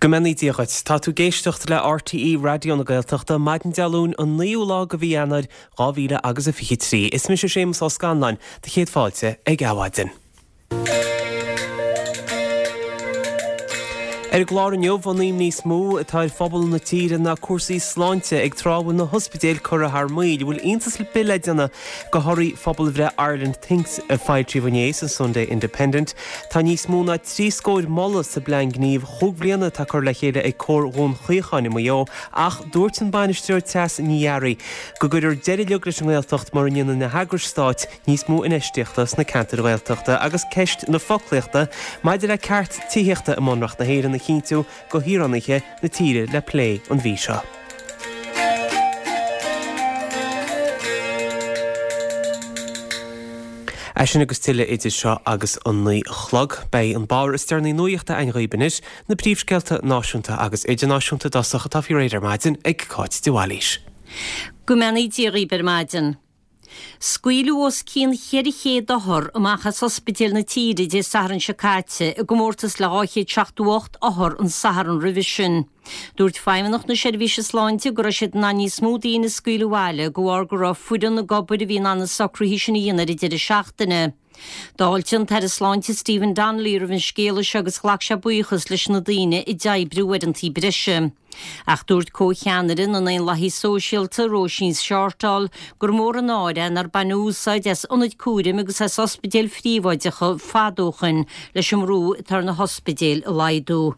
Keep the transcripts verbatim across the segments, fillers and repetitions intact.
Go mbeannaí Dia dhuit. Tá tú ag éisteacht le RTÉ Raidió na Gaeltachta, maidin Dé Luain an naoú lá de mhí Eanáir dhá mhíle agus a fiche trí. Is mise Séamus Ó Scanláin, do chéad fáilte ag Adhmhaidin. Ar an gclár inniu, an imní is mó atá ar phobal na tíre ná cúrsaí sláinte ag tráth a bhfuil na hospidéil curtha thar maoil. Bhfuil iontas ar bith le déanamh de thorthaí phobalbhreith Ireland Thinks a foilsíodh inné san Sunday Independent? Tá níos mó ná trí scór moladh sa bplean gnímh chúig bhliana atá curtha le chéile ag Comhar Dhún Chaocháin i Maigh Eo ach dúirt an bainisteoir Treasa Ní Fhearraigh go gcuirfear deireadh uilig leis an nGaeltacht mura ndéanann na heagrais stáit níos mó infheistíochta sna ceantair Ghaeltachta agus ceist na foclaíochta maidir le ceart tithíochta i mBunreacht na hÉireann a chinntiú do shaoránaithe na tíre le plé an mhí seo. É sin agus tuilleadh idir seo agus an naoi a chlog. Beidh an báire is deireanaí nuachta againn dhaoibh anois, na príomhscéalta náisiúnta agus idirnáisiúnta i dtosach atá faoi réir ar maidin ag Cáit de Bhailís. Go mbeannaí Dia dhaoibh ar maidin. Scaoileadh os cionn cheithre chéad othar amach as ospidéil na tíre Dé Sathairn seo caite i gcomórtas le dhá chéad seachtó ocht othar an Satharn roimhe sin. Dúirt Feidhmeannacht na Seirbhíse Sláinte go raibh siad in ann níos mó daoine a scaoileadh abhaile de bharr go raibh foireann ag obair a bhí in ann na socruithe sin a dhéanamh ar an deireadh seachtaine. D'fháiltigh an tAire Sláinte Stephen Donnelly roimh an scéala seo agus ghlac sé buíochas leis na daoine a d'oibrigh uaireanta breise. Ach dúirt comhcheannaire na nDaonlathaithe Sóisialta, Róisín Shortall, gur mór an náire é nár baineadh úsáid as ionaid cúraim agus as ospidéil phríobháideacha fada ó shoin leis an mbrú atá ar na hospidéil a laghdú.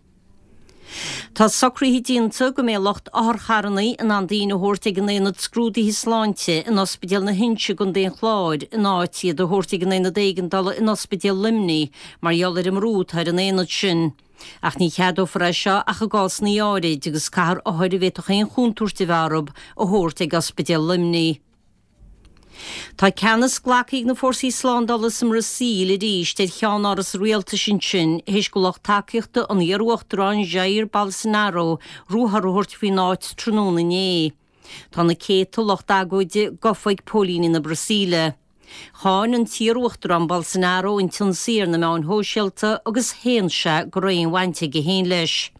Tá socruithe déanta go mbeidh lucht otharcharranna in ann daoine a thabhairt ag an Aonad Scrúdaithe Sláinte in Ospidéal na hInse i gContae an Chláir in áit iad a thabhairt ag an Aonad Éigeandála in Ospidéal Luimnigh mar gheall ar an mbrú atá ar an aonad sin. Ach ní cheadófar é seo ach i gcásanna áirid agus caithfear othair a bhféadfadh aon chontúirt a bheith orthu a thabhairt ag Ospidéal Luimnigh. Tá ceannas glactha ag na fórsaí slándála sa mBrasaíl arís ar cheannáras an rialtais ansin théis do lucht tacaíochta an iar-uachtaráin Jair Bolsonaro ruathar a thabhairt faoin áit tráthnóna inné. Tá na céadta lucht agóide gafa ag póilíní na Brasaíle. Cháin an t-iar-uachtarán Bolsonaro an t-ionsaí ar na meáin shóisialta agus shéan sé go raibh aon bhaint aige féin leis.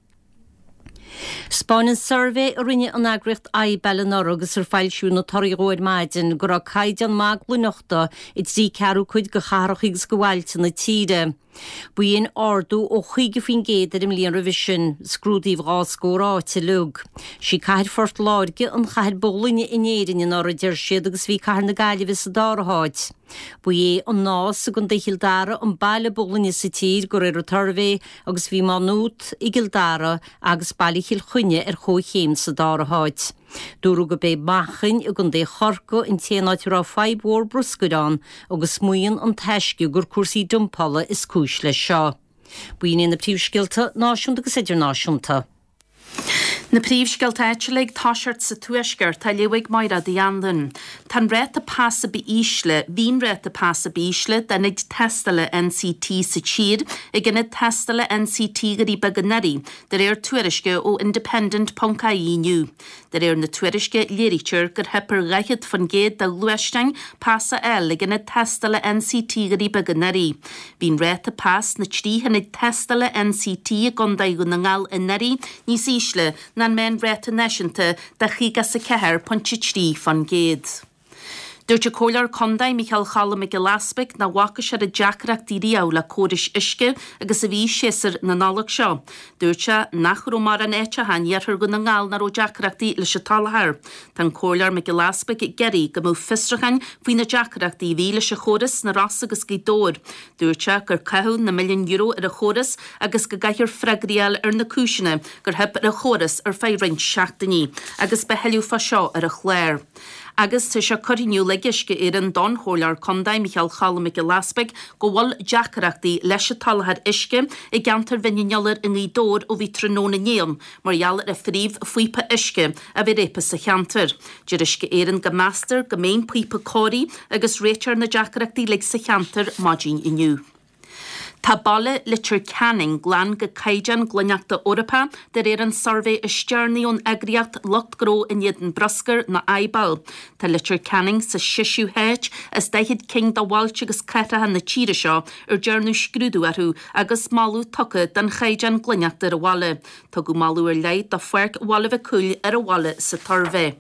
'Spáineann suirbhé a rinne an eagraíocht IBEL anuraidh agus ar foilsíodh na torthaí dhó ar maidin go raibh caighdeán maith glaineachta i dtrí ceathrú cuid de chathracha agus de bhailte na tíre. B'in ardú ó chaoga faoin gcéad ar an mbliain roimhe sin. Scrúdaíodh dhá scór áit uilig. Sí cathair Phort Láirge an chathair ba ghlaine in Éirinn anuraidh, a deir siad, agus bhí cathair na Gaillimhe sa dara háit. Ba é an Nás i gContae Chill Dara an baile ba ghlaine sa tír de réir an tsuirbhé agus bhí Má Nuat i gCill Dara agus baile Chill Chainnigh ar chomhchéim sa dara háit. Dúradh gurb é Manchain i gContae Chorcaí an t-aon áit a raibh fadhb mhór bruscair ann agus maíonn an Taisce gur cúrsaí dumpála is cúis leis seo. B'in iad na príomhscéalta náisiúnta agus idirnáisiúnta. Na príomhscéalta áitiúla ag toiseacht sa Tuaisceart, á léamh ag Máire Uí Anluain. Tá an ráta pasa ba ísle, bhí an ráta pasa ba ísle d'ionaid tástála NCT sa tír ag ionad tástála NCT Dhoirí Beaga anuraidh, de réir tuairisce ó Independent ponc ie inniu. De réir na tuairisce, léirítear gur theip ar dhaichead faoin gcéad de ghluaisteáin pas a fháil ag ionad tástála NCT Dhoirí Beaga anuraidh. Bhí an ráta pas sna trí hionad tástála NCT i gContae Dhún na nGall anuraidh níos ísle ná an meánráta náisiúnta de chaoga is a ceathair pointe trí faoin gcéad. Dúirt an Comhairleoir Contae Micheál Cholm Mac Giolla Easpaig nach bhfaca sé oiread deacrachtaí riamh le córais uisce agus a bhí séasúr na Nollag seo. Dúirt sé nach raibh mórán áiteacha in iarthar Dhún na nGall nach raibh deacrachtaí leis an tsoláthar. Tá an Comhairleoir Mac Giolla Easpaig ag iarraidh go mbeadh fiosrúcháin faoi na deacrachtaí a bhí leis an chóras sna Rosa agus Gaoth Dobhair. Dúirt sé gur caitheadh na milliúin euro ar an chóras agus go gcaithfear freagraí a fháil ar na cúiseanna gur theip ar an chóras ar feadh roinnt seachtainí agus beidh tuilleadh fá seo ar an chlár. Agus tá sé curtha in iúl ag Uisce Éireann don Chomhairleoir Contae, Micheál Cholm Mac Giolla Easpaig, go bhfuil deacrachtaí leis an tsoláthar uisce i gceantar Bhinn an Iolair i nGaoth Dobhair ó bhí tráthnóna inné ann mar gheall ar an phríomh-phíopa uisce a bheith réabtha sa cheantar. Deir Uisce Éireann go meastar go mbeidh an píopa cóirithe agus réiteofar na deacrachtaí uilig sa cheantar maidin inniu. Tá baile Leitir Ceanainn glan go caighdeán glaineachta Eorpach de réir an suirbhé is deireanaí ón eagraíocht Lucht Gnó in éadan Bruscair nó IBAL. Tá Leitir Ceanainn sa séú háit as daichead cinn de bhailte agus cathracha na tíre seo ar dearnadh scrúdú orthu agus moladh tugtha don chaighdeán glaineachta ar an bhaile. Tugadh moladh ar leith do Pháirc Bhaile Mhic Cumhaill ar an bhaile sa tsuirbhé.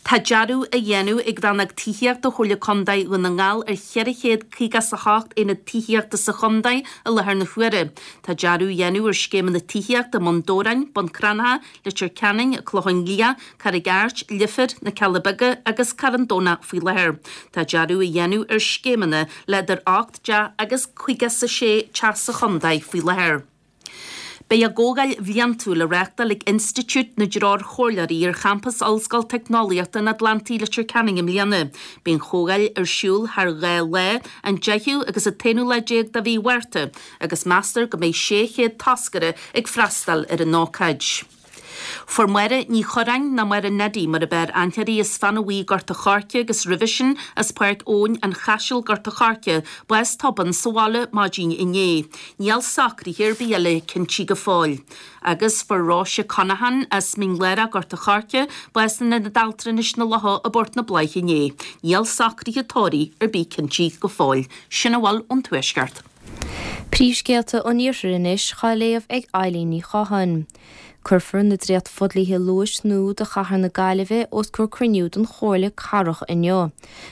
Tá dearadh á dhéanamh ag Rannóg Tithíochta Chomhairle Contae Dhún na nGall ar cheithre chéad caoga is a hocht aonad tithíochta sa chontae i láthair na huaire. Tá dearadh á dhéanamh ar scéimeanna tithíochta i mBun Dobhráin, Bun Cranncha, Leitir Ceanainn, Clochán Liath, Carraig Airt, Leifear, Na Cealla Beaga agus Carn Domhnach faoi láthair. Tá dearadh á dhéanamh ar scéimeanna le idir ocht dteach agus caoga is a sé teach sa chontae faoi láthair. Beidh a gcomhdháil bhliantúil á reáchtáil ag Institiúid na dTreoirchomhairleoirí ar champas Ollscoil Teicneolaíochta an Atlantaigh Leitir Ceanainn i mbliana. Beidh an chomhdháil ar siúl thar dhá lá, an deichiú agus an t-aonú lá déag de mhí Mhárta, agus meastar go mbeidh sé chéad toscaire ag freastal ar an ócáid. Fuair Máire Ní Churráin nó Máire Neddy mar ab fhearr aithne uirthi as Fána Bhuí Gort a' Choirce agus roimhe sin as Páirc Eoin an Chaisil Gort a' Choirce, bás tobann sa bhaile maidin inné. Níl socruithe ar bith eile cinntithe go fóill. Agus fuair Róise Conaghan as Mín Lárach Gort a' Choirce bás in Ionad Altranais na Locha i bPort na Bláiche inné. Níl socruithe tórraimh ar bith cinntithe go fóill. Sin a bhfuil ón Tuaisceart. Príomhscéalta an Iarthair anois á léamh ag Eileen Ní Chatháin. Cuirfear na dréacht-fhodhlíthe luais nua do chathair na Gaillimhe os comhair cruinniú den Chomhairle Cathrach inniu.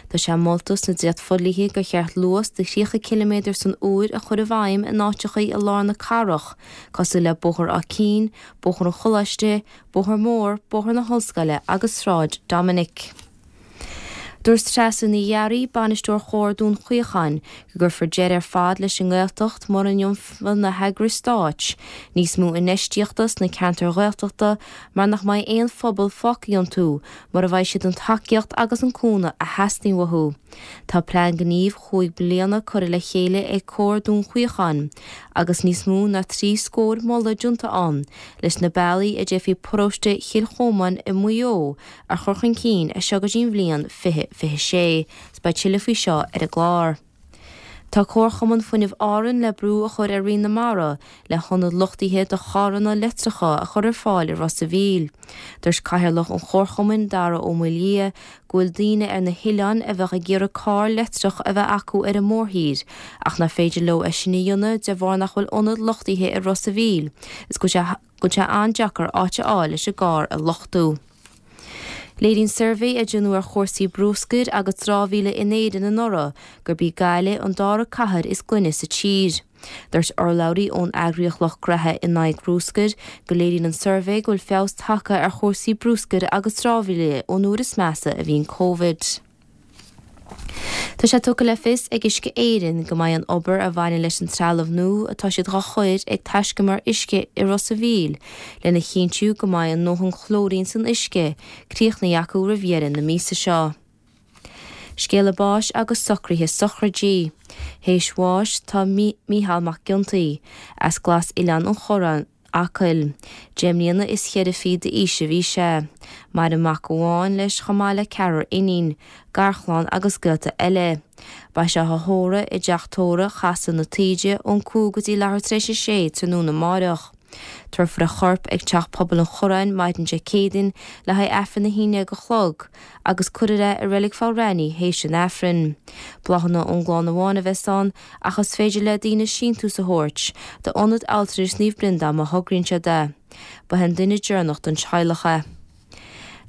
Tá sé molta sna dréacht-fhodhlíthe gur cheart luas de thríocha ciliméadar san uair a chur i bhfeidhm in áiteacha i lár na cathrach, cosúil le Bóthar Áth Cinn, Bóthar an Choláiste, Bóthar Mór, Bóthar na hOllscoile agus Sráid Dominic. Dúirt Treasa Ní Fhearraigh, bainisteoir Chomhar Dún Chaocháin, go gcuirfear deireadh ar fad leis an nGaeltacht mura ndeonfar na heagrais stáit, níos mó infheistíochta sna ceantair Ghaeltachta mar nach mbeidh aon phobal fágtha iontu mura bhfaighidh siad an tacaíocht agus an cúnamh a theastaíonn uathu. Tá plean gnímh chúig bliana curtha le chéile ag Comhar Dún Chaocháin, agus níos mó ná trí scór moladh déanta ann leis na bealaí a d'fhéadfaí paróiste Chill Chomáin i Maigh Eo a chur chun cinn as seo go dtí an bhliain fiche fiche sé. Is beidh tuilleadh faoi seo ar an gclár. Tá Comharchumann Fuinnimh Árann le brú a chur ar Roinn na Mara le hionad luchtaithe do charranna leictreacha a chur ar fáil i Ros a' Mhíl. Dúirt Cathaoirleach an Chomharchumainn Dara Ó Maoildhia go bhfuil daoine ar na hoileáin a bheadh ag iarraidh carr leictreach a bheith acu ar an mórthír, ach nach féidir leo é sin a dhéanamh de bharr nach bhfuil ionad luchtaithe i Ros a' Mhíl, is go bhfuil sé an-deacair áit a fháil leis an gcarr a luchtú. Léiríonn suirbhé a déanadh ar chúrsaí bruscair agus dramhaíola in Éirinn anuraidh gurb í Gaillimh an dara cathair is glaine sa tír. Dúirt urlabhraí ón eagraíocht Lucht Graithe in aghaidh bruscair go léiríonn an suirbhé go bhfuil feabhas tagtha ar chúrsaí bruscair agus dramhaíola ón uair is measa a bhí an Covid. Tá sé tugtha le fios ag Uisce Éireann go mbeidh an obair a bhaineann leis an trealamh nua atá siad dhá chur ag taiscumar uisce i Ros a' Mhíl lena chinntiú go mbeidh a ndóthain clóirín san uisce críochnaithe acu roimh dheireadh na míosa seo. Scéala báis agus socruithe sochraidí. Théis bháis tá Mícheál Mac Giontaí as Glas Oileán an Chorráin, Acaill. Deich mbliana is cheithre fichid d'aois a bhí sé. Maireann mac amháin leis chomh maith le ceathrar iníon, garchlann agus gaolta eile. Beidh sé á thórramh i dteach tórraimh Chasadh na Taoide ón cúig go dtí leathuair tar éis a sé tráthnóna amárach. Tabharfar a chorp ag Teach Pobail an Chorráin maidin Dé Céadaoin le haghaidh Aifreann a haon déag a chlog, agus cuirfear é i Reilig Pholl théis an Aifrinn. Bláthanna ón gclann amháin a bheas ann ach is féidir le daoine síntiús a thabhairt d'Ionad Altranais Naomh Breandán má thograíonn siad é. Ba é an duine deireanach den teaghlach é.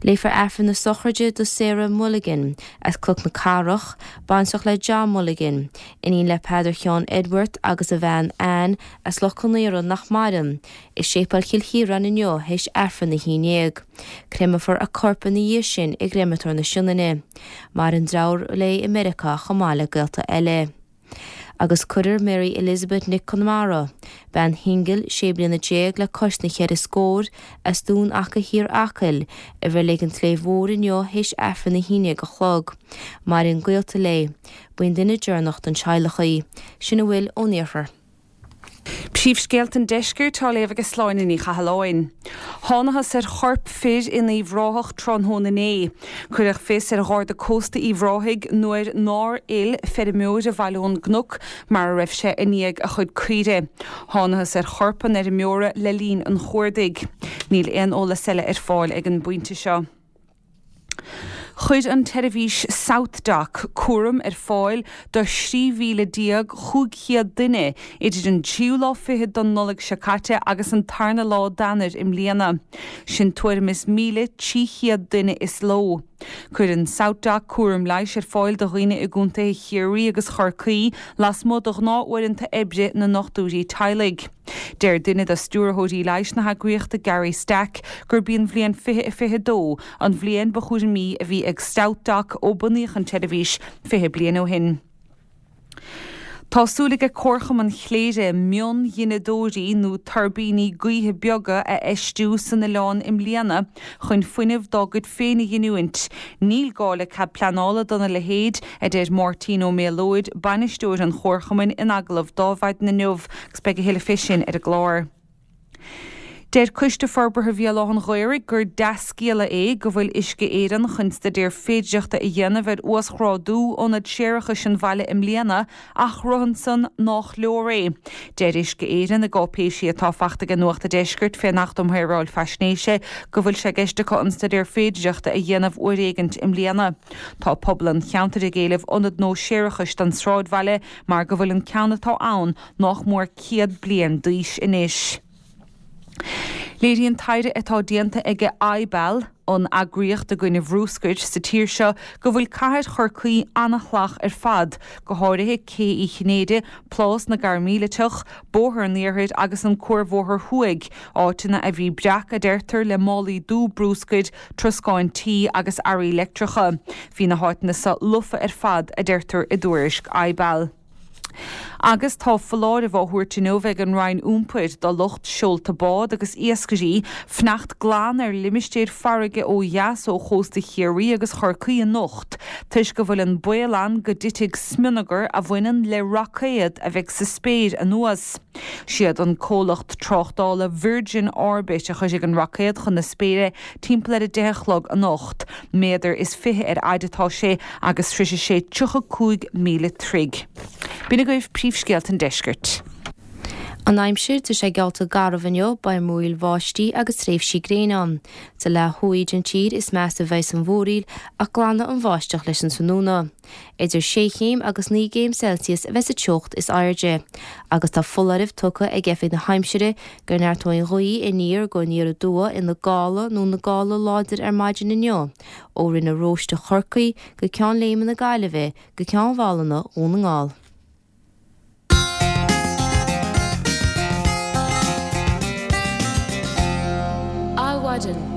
Léifear Aifreann na sochraide do Sarah Mulligan as Cnoc na Cathrach, baintreach le John Mulligan, iníon le Peadar Sheáin Edward agus a bhean Anne as Loch Con Aora nach maireann, i Séipéal Chill Chiaráin inniu théis Aifreann a haon déag. Créamfar a corp ina dhiaidh sin i gcréamatóir na Sionainne. Maireann deartháir léi i Meiriceá chomh maith le gaolta eile. Agus cuirfear Mary Elizabeth Nic Conmara, bean shingil sé bliana déag le cois na ceithre scór as Dún Acha Thiar Acaill, i Reilig an tSléibhe Mhóir inniu théis Aifreann a haon déag a chlog. Maireann gaolta léi. B'in duine deireanach den teaghlach í. Sin a bhfuil ón iarthar. Príomhscéalta an deiscirt á léamh ag Sláine Ní Chathalláin. Thángthas ar chorp fir in Uíbh Ráthach tráthnóna inné. Cuireadh fios ar Gharda Cósta Uíbh Ráthaigh nuair nár fhill feirmeoir ar Bhaile ón gCnoc mar a raibh sé i ndiaidh a chuid caoirigh. Thángthas ar chorp an fheirmeora le linn an chuardaigh. Níl aon eolas eile ar fáil ag an bpointe seo. Chuir an tseirbhís SouthDoc cúram ar fáil do thrí mhíle déag chúig chéad duine idir an tríú lá fichead den Nollaig seo caite agus an tarna lá d'Eanáir i mbliana. Sin tuairim is míle trí chéad duine is ló. Cuireann SouthDoc cúram leighis ar fáil do dhaoine i gcontaetha Chiarraí agus Chorcaí lasmuigh de ghnáth-uaireanta oibre na ndochtúirí teaghlaigh. Deir duine de stiúrthóirí leighis na heagraíochta Gary Stack gurb í an bhliain fiche a fiche dó an bhliain ba chúramaí a bhí ag SouthDoc ó bunaíodh an tseirbhís fiche bliain ó shin. Tá súil ag Comharchumann Chléire mionghineadóirí nó tuirbíní gaoithe beaga a fheistiú san oileán i mbliana chun fuinneamh dá gcuid féin a ghiniúint. Níl gá le cead pleanála dona leithéid, a deir Máirtín Ó Méalóid, bainisteoir an Chomharchumainn in agallamh d'Adhmhaidin inniu agus beidh a thuilleadh fé sin ar an gclár. Deir Coiste Forbartha Bhéal Átha an Ghaorthaidh gur dea-scéala é go bhfuil Uisce Éireann chun staidéar féidearthachta a dhéanamh ar uasghrádú ionad séarachais an bhaile i mbliana ach rothann san nách leor é. Deir Uisce Éireann i gcáipéisí atá faighte ag Nuacht an Deiscirt fén Acht um Shaoráil Faisnéise go bhfuil sé i gceist acu an staidéar féidearthachta a dhéanamh uair éigint i mbliana. Tá pobal an cheantair ag éileamh ionad nua séarachais don sráidbhaile mar go bhfuil an ceann atá ann nách mór céad bliain d'aois anois. Léiríonn taighde atá déanta ag IBAL, an eagraíocht i gcoinne bhruscair sa tír seo, go bhfuil cathair Chorcaí an-shalach ar fad, go háirithe Cé Uí Chinnéide, Plás na gCairmíliteach, Bóthar an Iarthair agus an Cuarbhóthar Thuaidh, áiteanna a bhí breac, a deirtear, le málaí dubha bruscair, troscáin tí agus earraí leictreacha. Bhí na háiteanna seo lofa ar fad, a deirtear i dtuairisc IBAL. Agus tá foláireamh á thabhairt inniu ag an Roinn Iompair do lucht seolta bád agus iascairí fanacht glan ar limistéir farraige ó dheas ó chósta Chiarraí agus Chorcaí anocht toisc go bhfuil an baol ann go dtitfidh smionagar a bhaineann le roicéad a bheidh sa spéir anuas. Siad an comhlacht tráchtála Virgin Orbit a chuirfidh an roicéad chun na spéire timpeall ar a deich a chlog anocht. Méadar is fiche ar fhaid atá sé agus sroisfidh sé tríocha cúig míle troigh. B'in agaibh príomhscéalta an deiscirt. An aimsir, tá sé geallta garbh inniu, beidh múraíl bháistí agus tréimhsí gréine ann. Sa leath thuaidh den tír is measa a bheidh an mhúraíl ach glanfaidh an bháisteach leis an tráthnóna. Idir sé chéim agus naoi gcéim Celsius a bheidh sa teocht is airde. Agus tá foláireamh tugtha ag Oifig na hAimsire go neartóidh an ghaoth aniar go aniar aduaidh ina gála nó ina gála láidir ar maidin inniu, ó Rinn na Róiste Chorcaí go Ceann Léime na Gaillimhe go Ceann Mhálanna Dhún na nGall. Adhmhaidin.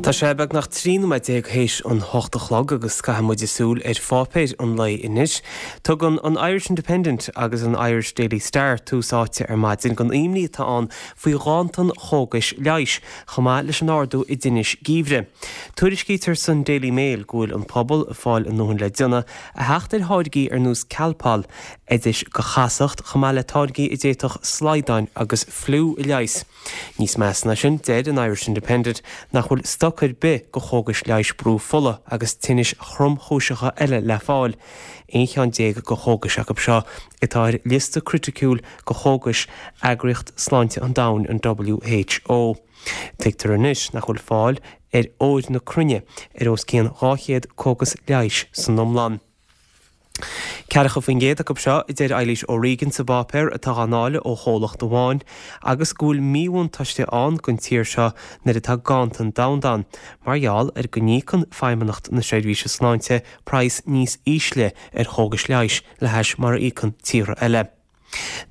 Tá sé beagnach trí nóiméad déag théis an hocht a chlog agus caithfidh muid súil ar pháipéir an lae anois. Tugann an Irish Independent agus an Irish Daily Star tús áite ar maidin don imní atá ann faoi ghanntan chógais leighis, chomh maith leis an ardú i dtinnis geimhridh. Tuairiscítear san Daily Mail go bhfuil an pobal ag fáil a ndóthain le déanamh a theacht ar tháirgí ar nós Calpol, oidis do chasacht, chomh maith le táirgí a d'fhéadfadh slaghdáin agus fliú a leigheas. Níos measa ná sin, deir an Irish Independent nach bhfuil stoc ar bith de chógais leighis brú fola agus tinnis thromchúiseacha eile le fáil. Aon cheann déag de chógais acu seo atá ar liosta criticiúil de chógais Eagraíocht Sláinte an Domhain, an WHO. Tuigtear anois nach bhfuil fáil ar fhód na cruinne ar os cionn dhá chéad cógas leighis san iomlán. Ceathracha faoin gcéad acu seo, a deir Eilís O'Regan sa bpáipéar, atá á ndáileadh ó chomhlacht amháin agus go bhfuil míbhuntáiste ann don tír seo nuair atá ganntan domhanda ann, mar gheall ar go n-íocann Feidhmeannacht na Seirbhíse Sláinte praghas níos ísle ar chógais leighis le hais mar a íocann tíortha eile.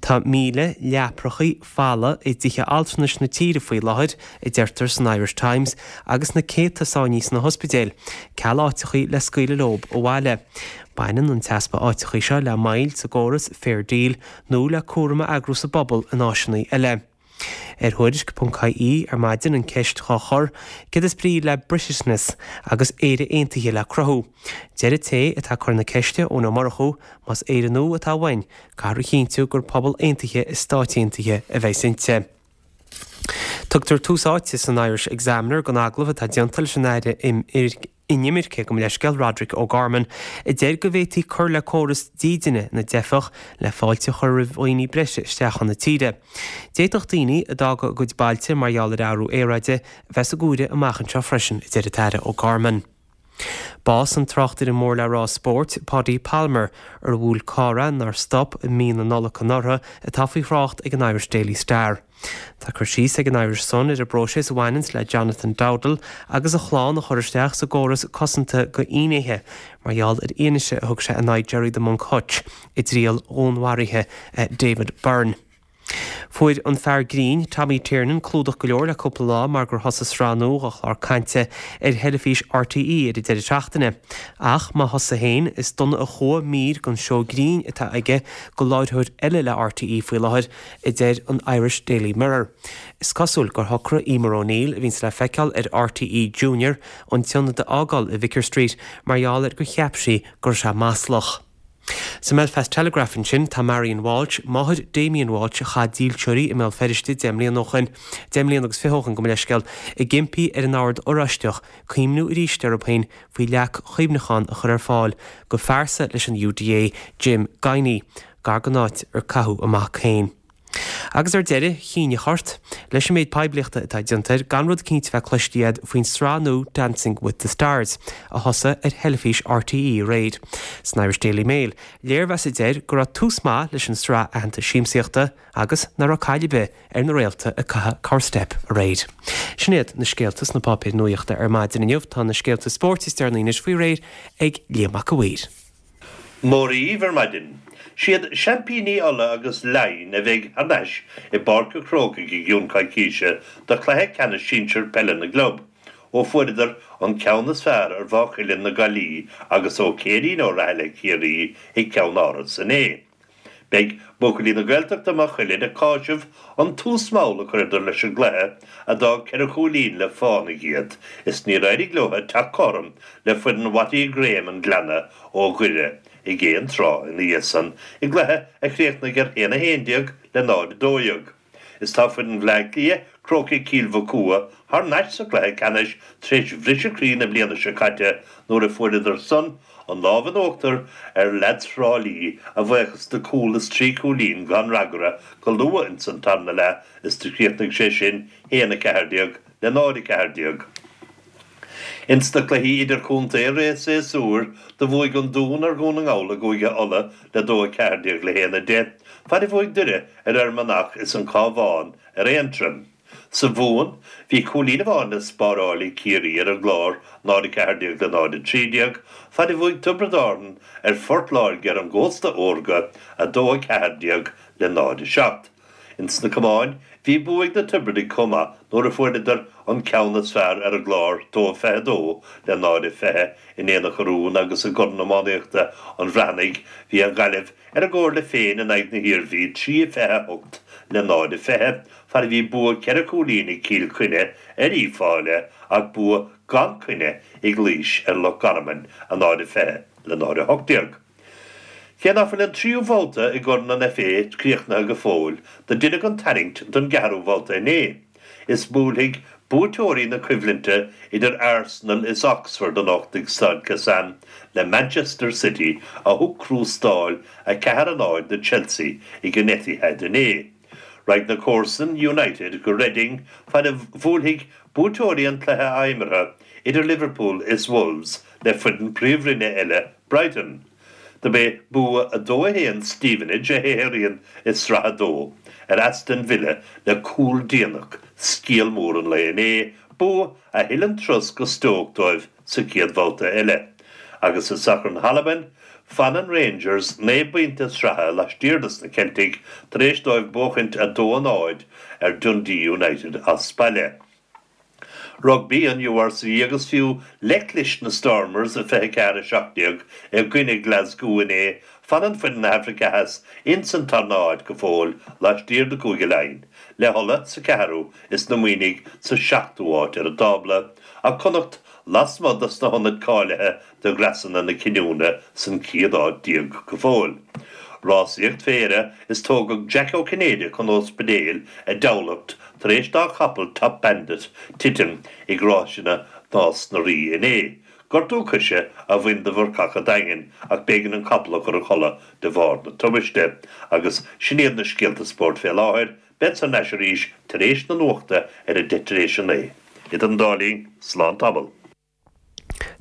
Tá míle leaprachaí folamh i dtithe altranais na tíre faoi láthair, a deirtear san Irish Times, agus na céadta sáinnithe sna hospidéil, ceal áiteachaí le scaoileadh leob abhaile. Baineann an t-easpa áiteachaí seo le moill sa gcóras Fair Deal nó le cúram a eagrú sa bpobal in áiseanna eile. Ar Thuairisc ponc ie ar maidin an ceist dhá chur, céard is brí le Britishness agus Éire Aontaithe le cruthú. Deir an té atá ag cur na ceiste, Eoin Ó Murchú, más Éire nua atá uainn, caithfear a chinntiú gur pobal aontaithe i stát aontaithe a bheidh inti. Tugtar tús áite san Irish Examiner don agallamh atá déanta leis an Aire Inimirce gabh mo leithscéal Roderic O'Gorman a deir go bhféadfaí cur le córas dídine na dteifeach le fáilte a chur roimh dhaoine breise isteach chun na tíre. D'fhéadfadh daoine a d'fhág a gcuid bailte mar gheall ar athrú aeráide a bheith sa gcomhaireamh amach anseo freisin, a deir an tAire O'Gorman. Bás an tráchtaire mór le rá spóirt, Paudie Palmer, ar bhuail carr é nár stop i mí na Nollag anuraidh, atá faoi thrácht ag an Irish Daily Star. Tá cur síos ag an Irish Sun ar an bpróiseas a bhaineanns le Jonathan Dowdall agus a chlann a chur isteach sa gcóras cosanta do fhinnéithe mar gheall ar fhianaise a thug sé in aghaidh Gerry 'The Monk' Hutch i dtriail dhúnmharaithe David Byrne. Fuair an fear grinn, Tommy Tiernan, clúdach go leor le cúpla lá mar gur thosaigh sraith nua de chlár cainte ar theilifís RTÉ ar an deireadh seachtaine. Ach má thosaigh féin, is dona a chuaigh mír den seó grinn atá aige do láithreoir eile le RTÉ faoi láthair, a deir an Irish Daily Mirror. Is cosúil gur shocraigh Emer O'Neill, a bhíonns le feiceáil ar RTÉ Junior, an t-ionad a fhágáil i Vicar Street mar gheall ar gur cheap sí go raibh sé maslach. Sa mBelfast Telegraph ansin tá Marion Walsh, máthair Damien Walsh a chaith dílseoirí i mBéal Feirste deich mbliana ó shin, deich mbliana agus fiche ó shin gabh mo leithscéal, ag impí ar an Ord Oráisteach cuimhniú arís orthu féin faoi leac chuimhneacháin a chur ar fáil do phearsa leis an UDA, Jim Guiney, gar don áit ar caitheadh a mac féin. Agus ar deireadh, chinneadh ort, leis an méid poiblíochta atá déanta air, gan rud cinnte bheith cloiste agat faoin sraith nua Dancing with the Stars, a thosaigh ar theilifís RTÉ aréir. San Irish Daily Mail, léirmheas a deir go raibh tús maith leis an sraith aitheanta siamsaíochta agus nach raibh caill ar bith ar na réalta a caitheadh corrstep aréir. Sin iad na scéalta sna páipéir nuachta ar maidin inniu, tá na scéalta spóirt is deireanaí anois faoi réir ag Liam Mac a' Mhaoir. Mora dhaoibh ar maidin. Siad seaimpíní Uladh agus Laighin a bheidh thar n-ais i bPáirc an Chrócaigh i gcionn coicíse do chluiche ceannais sinsir peile na gclub, ó fuaireadar an ceann is fearr ar Mhaigh Cuilinn na Gaillimhe agus ó Céirín Ó Rathaille Ciarraí i gCeann Áras inné. Beidh buachaillí na Gaeltachta Maigh Cuilinn ag cáiseamh an tús mall a chuireadar leis an gcluiche a d'fhág ceithre chúilín le fánaigh iad is níor éirigh leo teacht cothrom le foireann Watty Graham an Ghleanna ó Dhoire ag aon tráth ina dhiaidh san i gcluiche a chríochnaigh ar haon a haon déag le náid a dó dhéag. Is tá foireann Bhaile Átha Cliath, Crócaigh Chill Mochuda thar n-ais sa chluiche ceannais tar éis bhriseadh croí na bliana seo caite nuair a fuaireadar san an lámh in uachtar ar leaids Thrá Lí a bhuíochas do chúl is trí chúilín gan fhreagra go luath ins an tarna leath is do chríochnaigh sé sin haon a ceathair déag le náid a ceathair déag. Ins na cluichí idirchontae i rith an tséasúir, do bhuaigh an Dún ar Dhún na nGall i gCúige Uladh le dó a ceathair déag le haon a deich, fad a bhuaigh Doire ar Fhear Manach is an Cabhán ar Aontroim. Sa Mhumhain, bhí cúilín amháin le spáráil ag Ciarraí ar an gClár, náid a ceathair déag le náid a trí déag, fad a bhuaigh Tiobraid Árann ar Phort Láirge ar an gcósta órga, a dó a ceathair déag le náid a seacht. Ins na camáin, bhí bua ag na Tiobradaigh chomh maith nuair a fuaireadar an ceann is fearr ar an gClár, dó a fiche a dó le náid a fiche in Aonach Urmhumhan agus i gCorn Iománaíochta an Bhreathnaigh bhí an Ghaillimh ar a gcomhairle féin in aghaidh na hIarmhí, trí a fiche a hocht le náid a fiche, fad a bhí bua ceithre chúilín ag Cill Chainnigh ar Uíbh Fhailí ach bua gan choinne ag Laois ar Loch Garman, a náid a fiche le náid a hocht déag. Cé nach bhfuil an tríú babhta i gCorn an FA críochnaithe go fóill, do deineadh an tarraingt don gceathrú babhta inné. Is buailfidh buaiteoirí na coimhlinte idir Arsenal is Oxford anocht ag Staid Kassam le Manchester City a thug crústáil a ceathair a náid do Chelsea ag an Etihad inné. Raghaidh na comharsain United go Reading fad a bhuailfidh buaiteoirí an chluiche athimeartha idir Liverpool is Wolves le foireann Príomhroinne eile Brighton. Do b'é bua a dó a haon Stevenage, a shaothraíonn i Sraith a Dó, ar Aston Villa le cúl déanach, scéal mór an lae inné, bua a thuill an turas go Stoke dóibh sa chéad bhabhta eile. Agus i sacar na hAlban, fanann Rangers naoi bpointe sraithe laistiar dos na Ceiltigh tar éis dóibh buachaint a dó a náid ar Dundee United as baile. Rugbaí an URC agus fiú le clis na Stormers a fiche ceathair a seacht déag i gcoinne Glasgow inné, Fanann foireann na hAfraice Theas ins an tarna háit go fóill laistiar de Chúige Laighean, le hUladh sa ceathrú is na Muimhnigh sa seachtú háit ar an dtábla, ach Connacht lasmuigh dos na hionaid cáilithe do dhreasanna na cinniúna san chéad áit déag go fóill. Rásaíocht fé dheireadh is tógadh Jack Ó Cinnéide chun ospidéil i dTamhlacht tar éis dá chapall Top Bandit titim ag ráiseanna Nás na Rí inné. Gortú coise a bhain do Bhurcach an Daingin ach b'éigean an capall a chur a chodladh de bharr na tubaiste. Agus sin iad na scéalta spóirt fé láthair, bead thar n-ais arís tar éis na nuachta ar a deich tar éis a naoi. Idir an dá linn, slán tamall.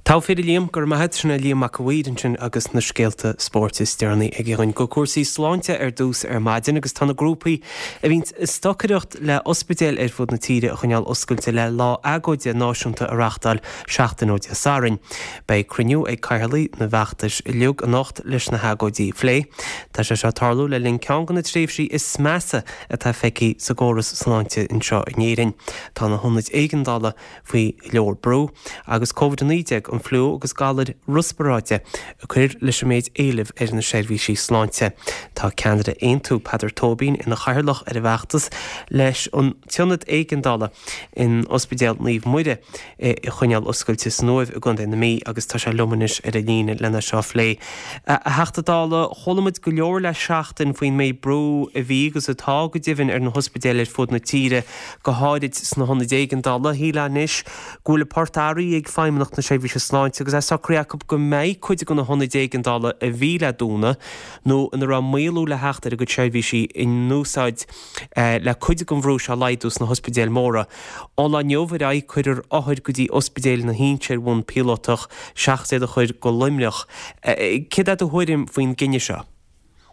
Togha fir a Liam, go raibh maith agat, sin é Liam Mac a' Mhaoir ansin agus na scéalta spóirt is deireanaí aige dhúinn. Go cúrsaí sláinte ar dtús ar maidin agus tá na grúpaí a bhíonn ag stocaireacht le ospidéil ar fud na tíre a choinneáil oscailte le lá agóide náisiúnta a reáchtáil seachtain ó Dé Sathairn. Beidh cruinniú ag cathaoirligh na bhfeachtas uilig anocht leis na hagóidí a phlé. Tá sé seo ag tarlú le linn ceann de na tréimhsí is measa atá feicthe sa gcóras sláinte anseo in Éirinn. Tá na hionaid éigeandála faoi go leor brú agus Covid a naoi déag, an fliú agus galair riospráide ag cur leis an méid éilimh ar na seirbhísí sláinte. Tá ceannaire Aontú, Peadar Tóibín, ina chathaoirleach ar an bhfeachtas leis an t-ionad éigeandála in Ospidéal Naomh Muire a choinneáil oscailte san Uaimh i gContae na Mí agus tá sé liom anois ar an líne lena seo a phlé. A Theachta Dála, chuala muid go leor le seachtain faoin méid brú a bhí agus atá go deimhin ar na hospidéil ar fud na tíre, go háirid sna hionaid éigeandála. Shílfeá anois go bhfuil an port athraithe ag Feidhmeannacht na Seirbhíse Sláinte agus é socraithe acu go mbeidh cuid de na hionaid éigeandála a bhí le dúnadh nó ina raibh maolú le theacht ar a gcuid seirbhísí in úsáid le cuid den bhrú seo a laghdú sna hospidéil mhóra. Ón lá inniu ar aghaidh cuirfear othair go dtí ospidéal na hInse ar bhonn píolótach seachas iad a chur go Luimneach. Céard é do thuairim faoin gcinneadh seo?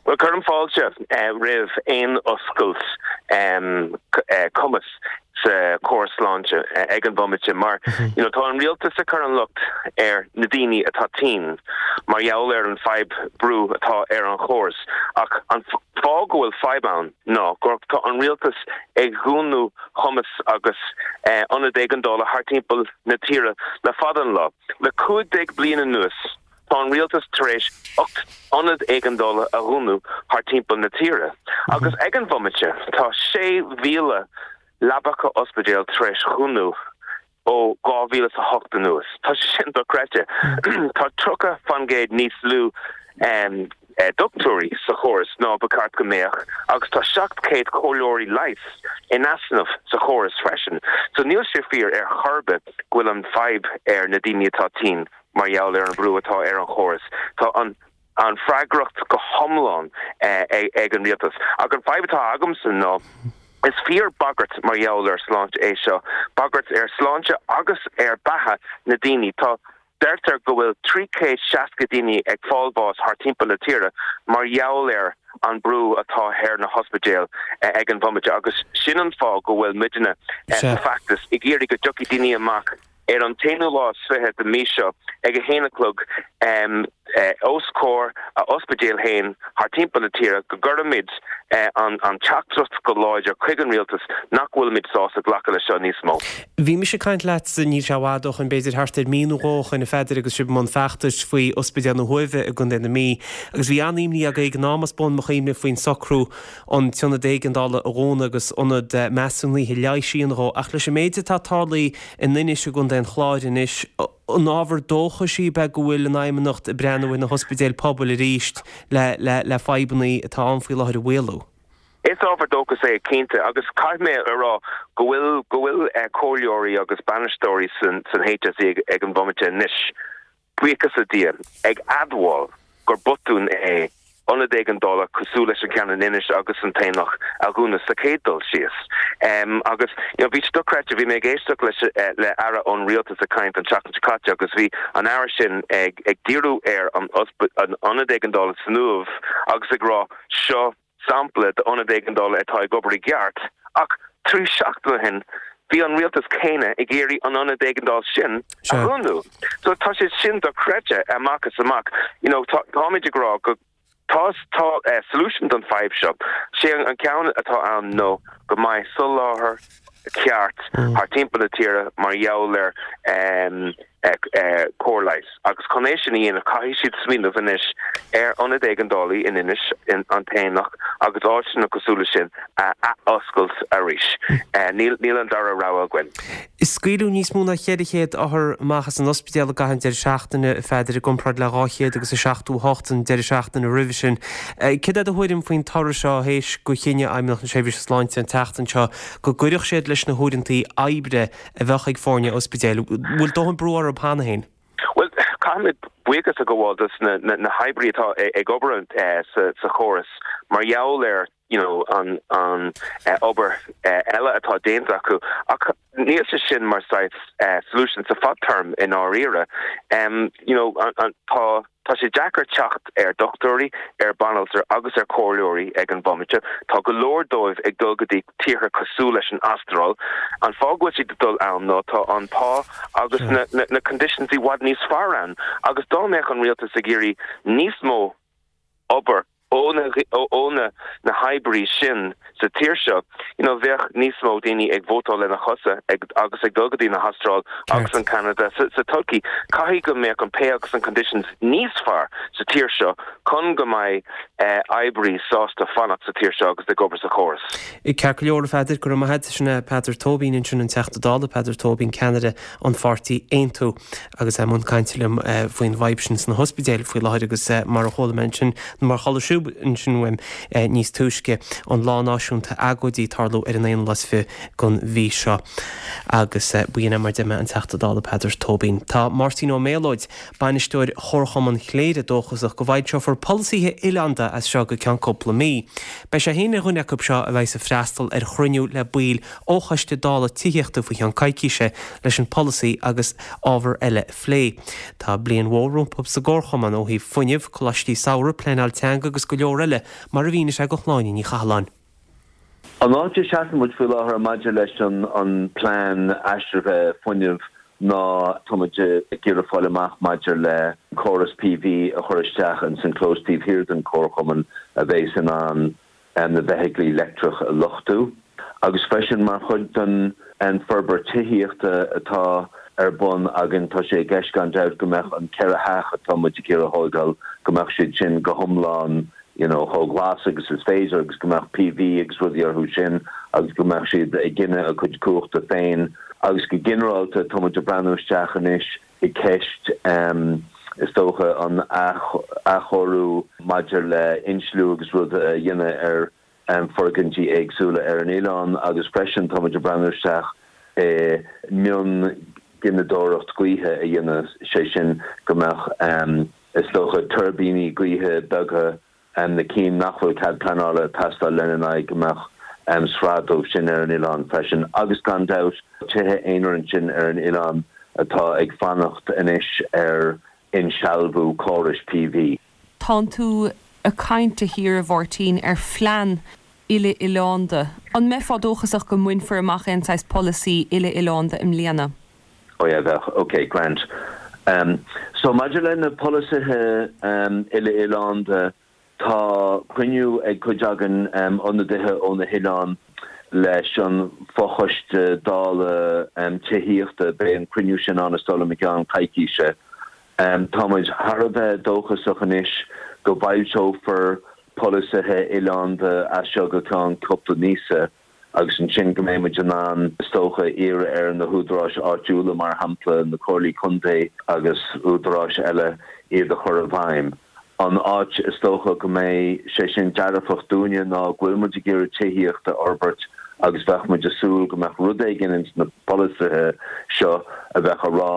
Bhuel, cuirim fáilte roimh aon oscailt cumas sa chóras sláinte ag an bhomaite mar you know tá an rialtas ag cur an locht ar na daoine atá tinn mar gheall ar an fadhb brú atá ar an chóras ach an fáth go bhfuil fadhb ann ná gur tá an rialtas ag dhúnadh cumas agus ionad éigeandála thar timpeall na tíre le fada an lá. Le cúig déag bliain anuas tá an rialtas tar éis ocht ionad éigeandála a dhúnadh thar timpeall na tíre agus ag an bhomaite tá sé mhíle leapacha ospidéil tar éis dhúnadh ó dhá mhíle is a hocht anuas. Tá sé sin dochreidte. Tá tríocha faoin gcéad níos lú dochtúirí sa chóras ná ba cheart go mbeadh agus tá seacht céad comhairleoirí leighis in easnamh sa chóras freisin. So níl sé fíor ar chor ar bith go bhfuil an fadhb ar na daoine atá tinn mar gheall ar an bhrú atá ar an chóras. Tá an an freagracht go hiomlán ag an rialtas. Ach an fadhb atá agamsa ná is fíor bagairt mar gheall ar sláinte é seo, bagairt ar sláinte agus ar beatha na daoine. Tá deirtear go bhfuil trí chéad seasca daoine ag fáil bás thar timpeall na tíre mar gheall ar an brú atá ar na hospidéil ag an bhomaite agus sin an fáth go bhfuil muidne sa feachtas ag iarraidh go dtiocfaidh daoine amach ar an t-aonú lá is fiche de mí seo ag a haon a chlog os comhair a ospidéal féin thar timpeall na tíre go gcuirimid an teachtaireacht go láidir chuig an rialtas nach bhfuilimid sásta glacadh leis seo níos mó. Bhí mise ag caint leatsa, níl sé i bhfad ó shoin, b'fhéidir thart ar mí nó dhó ó shoin, a Pheadair, agus sibh i mbun feachtais faoi Ospidéal na hUaimhe i gContae na Mí, agus bhí an-imní agaibh ag an am, as bun mo chuimhne, faoin socrú an t-ionad éigeandála a dhúnadh agus ionad measúnaithe leighis a dhéanamh dhó. Ach leis an méid atá tarlaithe in Inis i gContae an Chláir anois, an ábhar dóchais í ab ea go bhfuil an Fheidhmeannacht ag breathnú ar na hospidéil pobail arís le le le fadhbanna atá ann faoi láthair a mhaolú? Is ábhar dóchais é, cinnte, agus caithfidh mé a rá go bhfuil go bhfuil comhairleoirí agus bainisteoirí san san H S E ag an bhomaite anois, buíochas le Dia, ag admháil gur botún é ionad éigeandála cosúil leis an ceann in Inis agus an tAonach a dhúnadh sa chéad dul síos. Agus you know bhí sé dochreidte, bhí mé ag éisteacht leis le aire ón rialtas ag caint an tseachtain seo caite agus bhí an aire sin ag ag díriú ar an an ionad éigeandála san Uaimh agus ag rá seo sampla d'ionad éigeandála atá ag obair i gceart ach trí seachtaine ó shin bhí an rialtas céanna ag iarraidh an ionad éigeandála sin a dhúnadh. So tá sé sin dochreidte amach is amach. You know tá táimid ag rá go tá tá solution don fadhb seo. Sé an ceann atá ann nó go mbeidh soláthar ceart thar timpeall na tíre mar gheall ar um, cóir leighis agus chun é sin a dhéanamh caithfidh siad smaoineamh anois ar ionad éigeandálaí in Inis, in An tAonach agus áiteanna cosúil leis sin a athoscailt arís. Níl níl an dara rogha againn. Scaoileadh níos mó ná ceithre chéad othar amach as an ospidéal i gcaitheamh an deireadh seachtaine, a Pheadair, i gcomparáid le dhá chéad agus a seachtó a hocht an deireadh seachtaine roimhe sin. Céard é do thuairim faoin toradh seo théis gur chinn Fheidhmeannacht na Seirbhíse Sláinte an tseachtain seo go gcuirfeadh siad leis na huaireantaí oibre a bheadh ag foirne ospidéil? Bhfuil dóthain brú orthu cheana féin? Bhuel, caithfimid buíochas a ghabháil dos na na hoibrí atá ag obair sa sa chóras mar gheall ar you know an an obair eile atá déanta acu ach níl sé sin mar saghas solution sa fadterm i ndáiríre. You know an an tá tá sé deacair teacht ar dochtúirí, ar banaltra agus ar chomhairleoirí ag an bhomaite. Tá go leor dóibh ag dul go dtí tíortha cosúil leis an Astráil. An fáth go bhfuil siad ag dul ann ná tá an pá agus na na na conditions i bhfad níos fearr ann. Agus dá mbeadh an rialtas ag iarraidh níos mó obair ó na ó na na hoibrí sin sa tír seo, you know, bheadh níos mó daoine ag vótáil lena chosa ag agus ag dul go dtí na hAstráil agus an Canada sa, sa todhchaí. Caithfidh go mbeadh an pay agus an conditions níos fearr sa tír seo chun go mbeidh eh, oibrí sásta fanacht sa tír seo agus ag obair sa chóras. Ceart go leor a Pheadair, go raibh maith agat. Sin é Peadar Tóibín ansin an Teachta Dála, Peadar Tóibín ceannaire an pháirtí Aontú agus é i mbun cainte liom eh, faoin bhfadhb sin sna hospidéil faoi láthair agus eh, mar a chuala mé ansin mar chuala sibh ansin uaim eh, níos túisce an lá náisiúnta agóidí ag tarlú ar an aonú lá is fiche den mhí seo agus eh, b'in é mar a deir mé an Teachta Dála Peadar Tóibín. Tá Máirtín Ó Méalóid, bainisteoir Chomharchumann Chléire dóchasach go bhfoilseofar polasaithe oileánda as seo go ceann cúpla mí. Beidh sé féin ar dhuine acu seo a bheidh ag freastal ar chruinniú le baill ó Choiste Dála Tithíochta faoi cheann coicíse leis an polasaí agus ábhar eile a phlé. Tá bliain mhór rompu sa gComharchumann ó thaobh fuinnimh, coláistí samhraidh, pleanáil teanga agus go leor eile mar a mhínigh sé do Shláine Ní Chathalláin. An áit a seasann muid faoi láthair maidir leis an an plean aistrithe fuinnimh ná táimid ag iarraidh fáil amach maidir le córas P V a chur isteach in san clós taobh thiar den Chomharchumann a bheidh in ann na feithiclí leictreach a luchtú. Agus freisin mar chuid den an forbairt tithíochta atá ar bun againn tá sé i gceist gan dabht go mbeadh an ceithre theach atá muid ag iarraidh thógáil go mbeadh siad sin go hiomlán you know, chomh glas agus is féidir agus go mbeadh P V agus rudaí orthu sin agus go mbeadh siad ag gineadh a cuid cumhachta féin agus go ginearálta tá muid ag breathnú isteach anois i gceist um, is dócha an athchóiriú maidir le insliú agus rud a dhéanamh ar um, foirgintí éagsúla ar an oileán agus freisin tá muid ag breathnú isteach e, mionghineadóireacht gaoithe a dhéanamh sé sin go mbeadh um, is dócha tuirbíní gaoithe beaga um, na cinn nach bhfuil cead pleanála ag teastáil lena n-aghaidh go mbeadh um, sraith dóibh sin ar an oileán freisin agus gan dabht tithe aonair ansin ar an oileán atá ag fanacht anois ar insealbhú córais P V. Tánn tú ag caint a shíor a Mháirtín ar phlean uile-oileánda. An mbeifeá dóchasach go mbainfear amach aon saghas polasaí uile-oileánda i mbliana? Oh yeah, bheadh, okay, grand. Um, so maidir le na polasaithe um, uile-oileánda tá cruinniú ag cuid againn um, ionadaithe ó na hoileáin leis an fochoiste dála um, tithíochta beidh an cruinniú sin ann is dóigh liom i gceann coicíse. Um, tá muid thar a bheith dóchasach anois go bhfoilseofar polasaithe oileánda as seo go ceann cúpla míosa agus ansin go mbeidh muid in ann is dócha iarraidh ar na húdaráis áitiúla mar shampla na comhairlí contae agus údaráis eile iad a chur i bhfeidhm. An áit is dócha go mbeidh sé sin dearfach dúinne ná go bhfuil muid ag iarraidh tithíocht a fhorbairt agus bheadh muid ag súil go mbeadh rud éigin ins na polasaithe seo a bheadh ag rá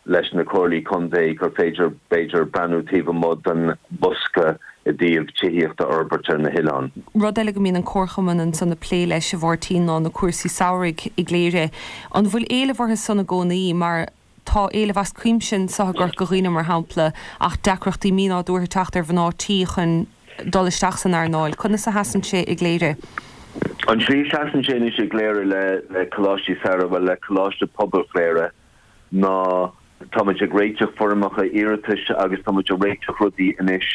leis na comhairlí contae gur féidir b'fhéidir breathnú taobh amuigh den bhosca i dtaobh tithíocht a fhorbairt ar na hoileáin. Rud eile go mbíonn an Comharchumann ansan ag plé leis a Mháirtín ná na cúrsaí samhraidh i gCléire. An bhfuil éileamh orthu san i gcónaí mar tá éileamh as cuimse anseo i gCorca Dhuibhne mar shampla ach deacrachtaí mínádúrtha teacht ar mhná tí chun dul isteach san earnáil. Conas a sheasann sé i gCléire? An slí seasann sé anois i gCléire le le coláistí samhraidh le Coláiste Pobail Chléire ná táimid ag réiteach foirmeacha iarratais agus táimid ag réiteach rudaí anois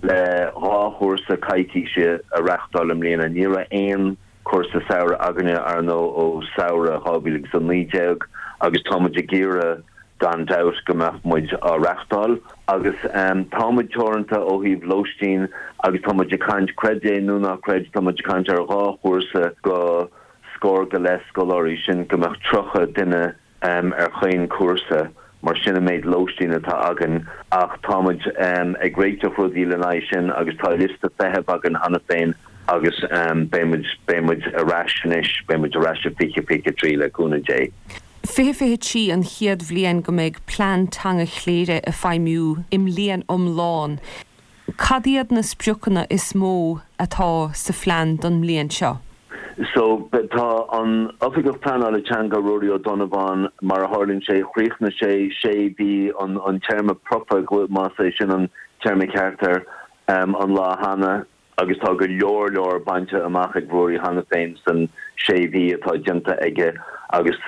le dhá chúrsa coicíse a reáchtáil i mbliana. Ní raibh aon chúrsa samhraidh againne ar ndóigh ó samhradh dhá mhíle agus a naoi déag agus táimid ag iarraidh gan dabht go mbeadh muid á reachtáil agus tá muid teoranta ó thaobh lóistín agus tá muid ag caint, creid é nó ná creid, tá muid ag caint ar dhá chúrsa go scór go leith scoláirí, sin go mbeadh tríocha duine ar chaon chúrsa mar sin an méid lóistín atá againn ach tá muid ag réiteach rudaí lena aghaidh sin agus tá liosta feithimh againn cheana féin agus beidh muid, beidh muid ar ais anois, beidh muid ar ais i fiche fiche trí le cúnamh Dé. fiche fiche trí an chéad bhliain go mbeidh Plean Teanga Chléire ag feidhmiú i mbliain iomlán. Cad iad na spriocanna is mó atá sa phlean don mbliain seo? So, tá an Oifigeach Pleanála Teanga, Ruairí Ó Donnabháin, mar a tharlaíonn sé, chríochnaigh sé sé mhí an an téarma promhaidh, más é sin an téarma ceart air, an lá cheana agus tá go leor leor bainte amach ag Ruairí cheana féin san sé mhí atá déanta aige agus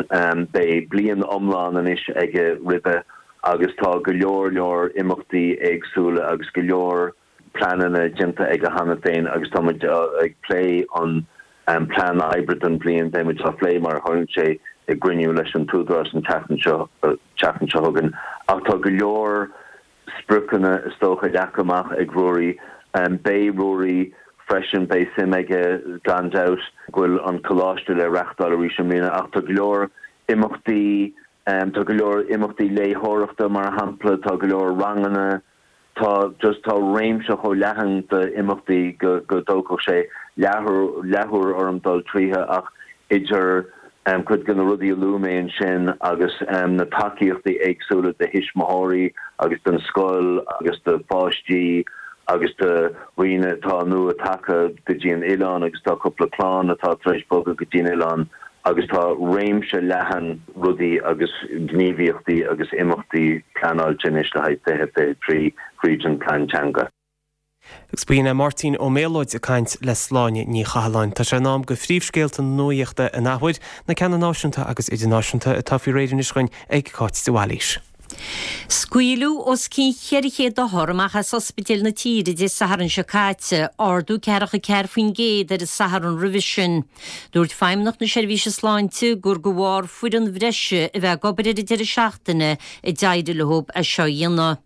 beidh bliain iomlán anois aige roimhe agus tá go leor leor imeachtaí éagsúla agus go leor pleananna déanta aige cheana féin agus tá muid ag plé an plean oibre don bhliain, beidh muid á phlé mar a tharlaíonn sé i gcruinniú leis an t-údarás an tseachtain seo tseachtain seo chugainn ach tá go leor spriocanna is dócha leagtha amach ag Ruairí. Beidh Ruairí freisin, beidh suim aige gan dabht go bhfuil an coláiste le reachtáil arís i mbliana ach tá go leor imeachtaí, tá go leor imeachtaí léitheoireachta mar shampla, tá go leor ranganna, tá just tá réimse chomh leathan d'imeachtaí go go dtógfadh sé leathuair leathuair orm dul tríothu ach idir cuid de na rudaí a luaigh mé ansin agus na tacaíochtaí éagsúla do thuismitheoirí agus don scoil agus do pháistí agus do dhaoine atá nua tagtha go dtí an oileán agus tá cúpla clann atá tar éis bogadh go dtí an oileán agus tá réimse leathan rudaí agus gníomhaíochtaí agus imeachtaí pleanáilte anois le haghaidh fiche fiche trí fríd an Plean Teanga. Agus b'in é Máirtín Ó Méalóid ag caint le Sláine Ní Chathalláin. Tá sé in am go phríomhscéalta na nuachta an athuair, na ceanna náisiúnta agus idirnáisiúnta atá faoi réir anois againn ag Cáit de Bhailís. Scaoileadh os cionn cheithre chéad othar amach as ospidéil na tíre Dé Sathairn seo caite, ardú ceathracha ceathair faoin gcéad ar an Satharn roimhe sin. Dúirt Feidhmeannacht na Seirbhíse Sláinte gur de bharr foireann bhreise a bheith ag obair ar an deireadh seachtaine a d'éirigh leo é seo a dhéanamh.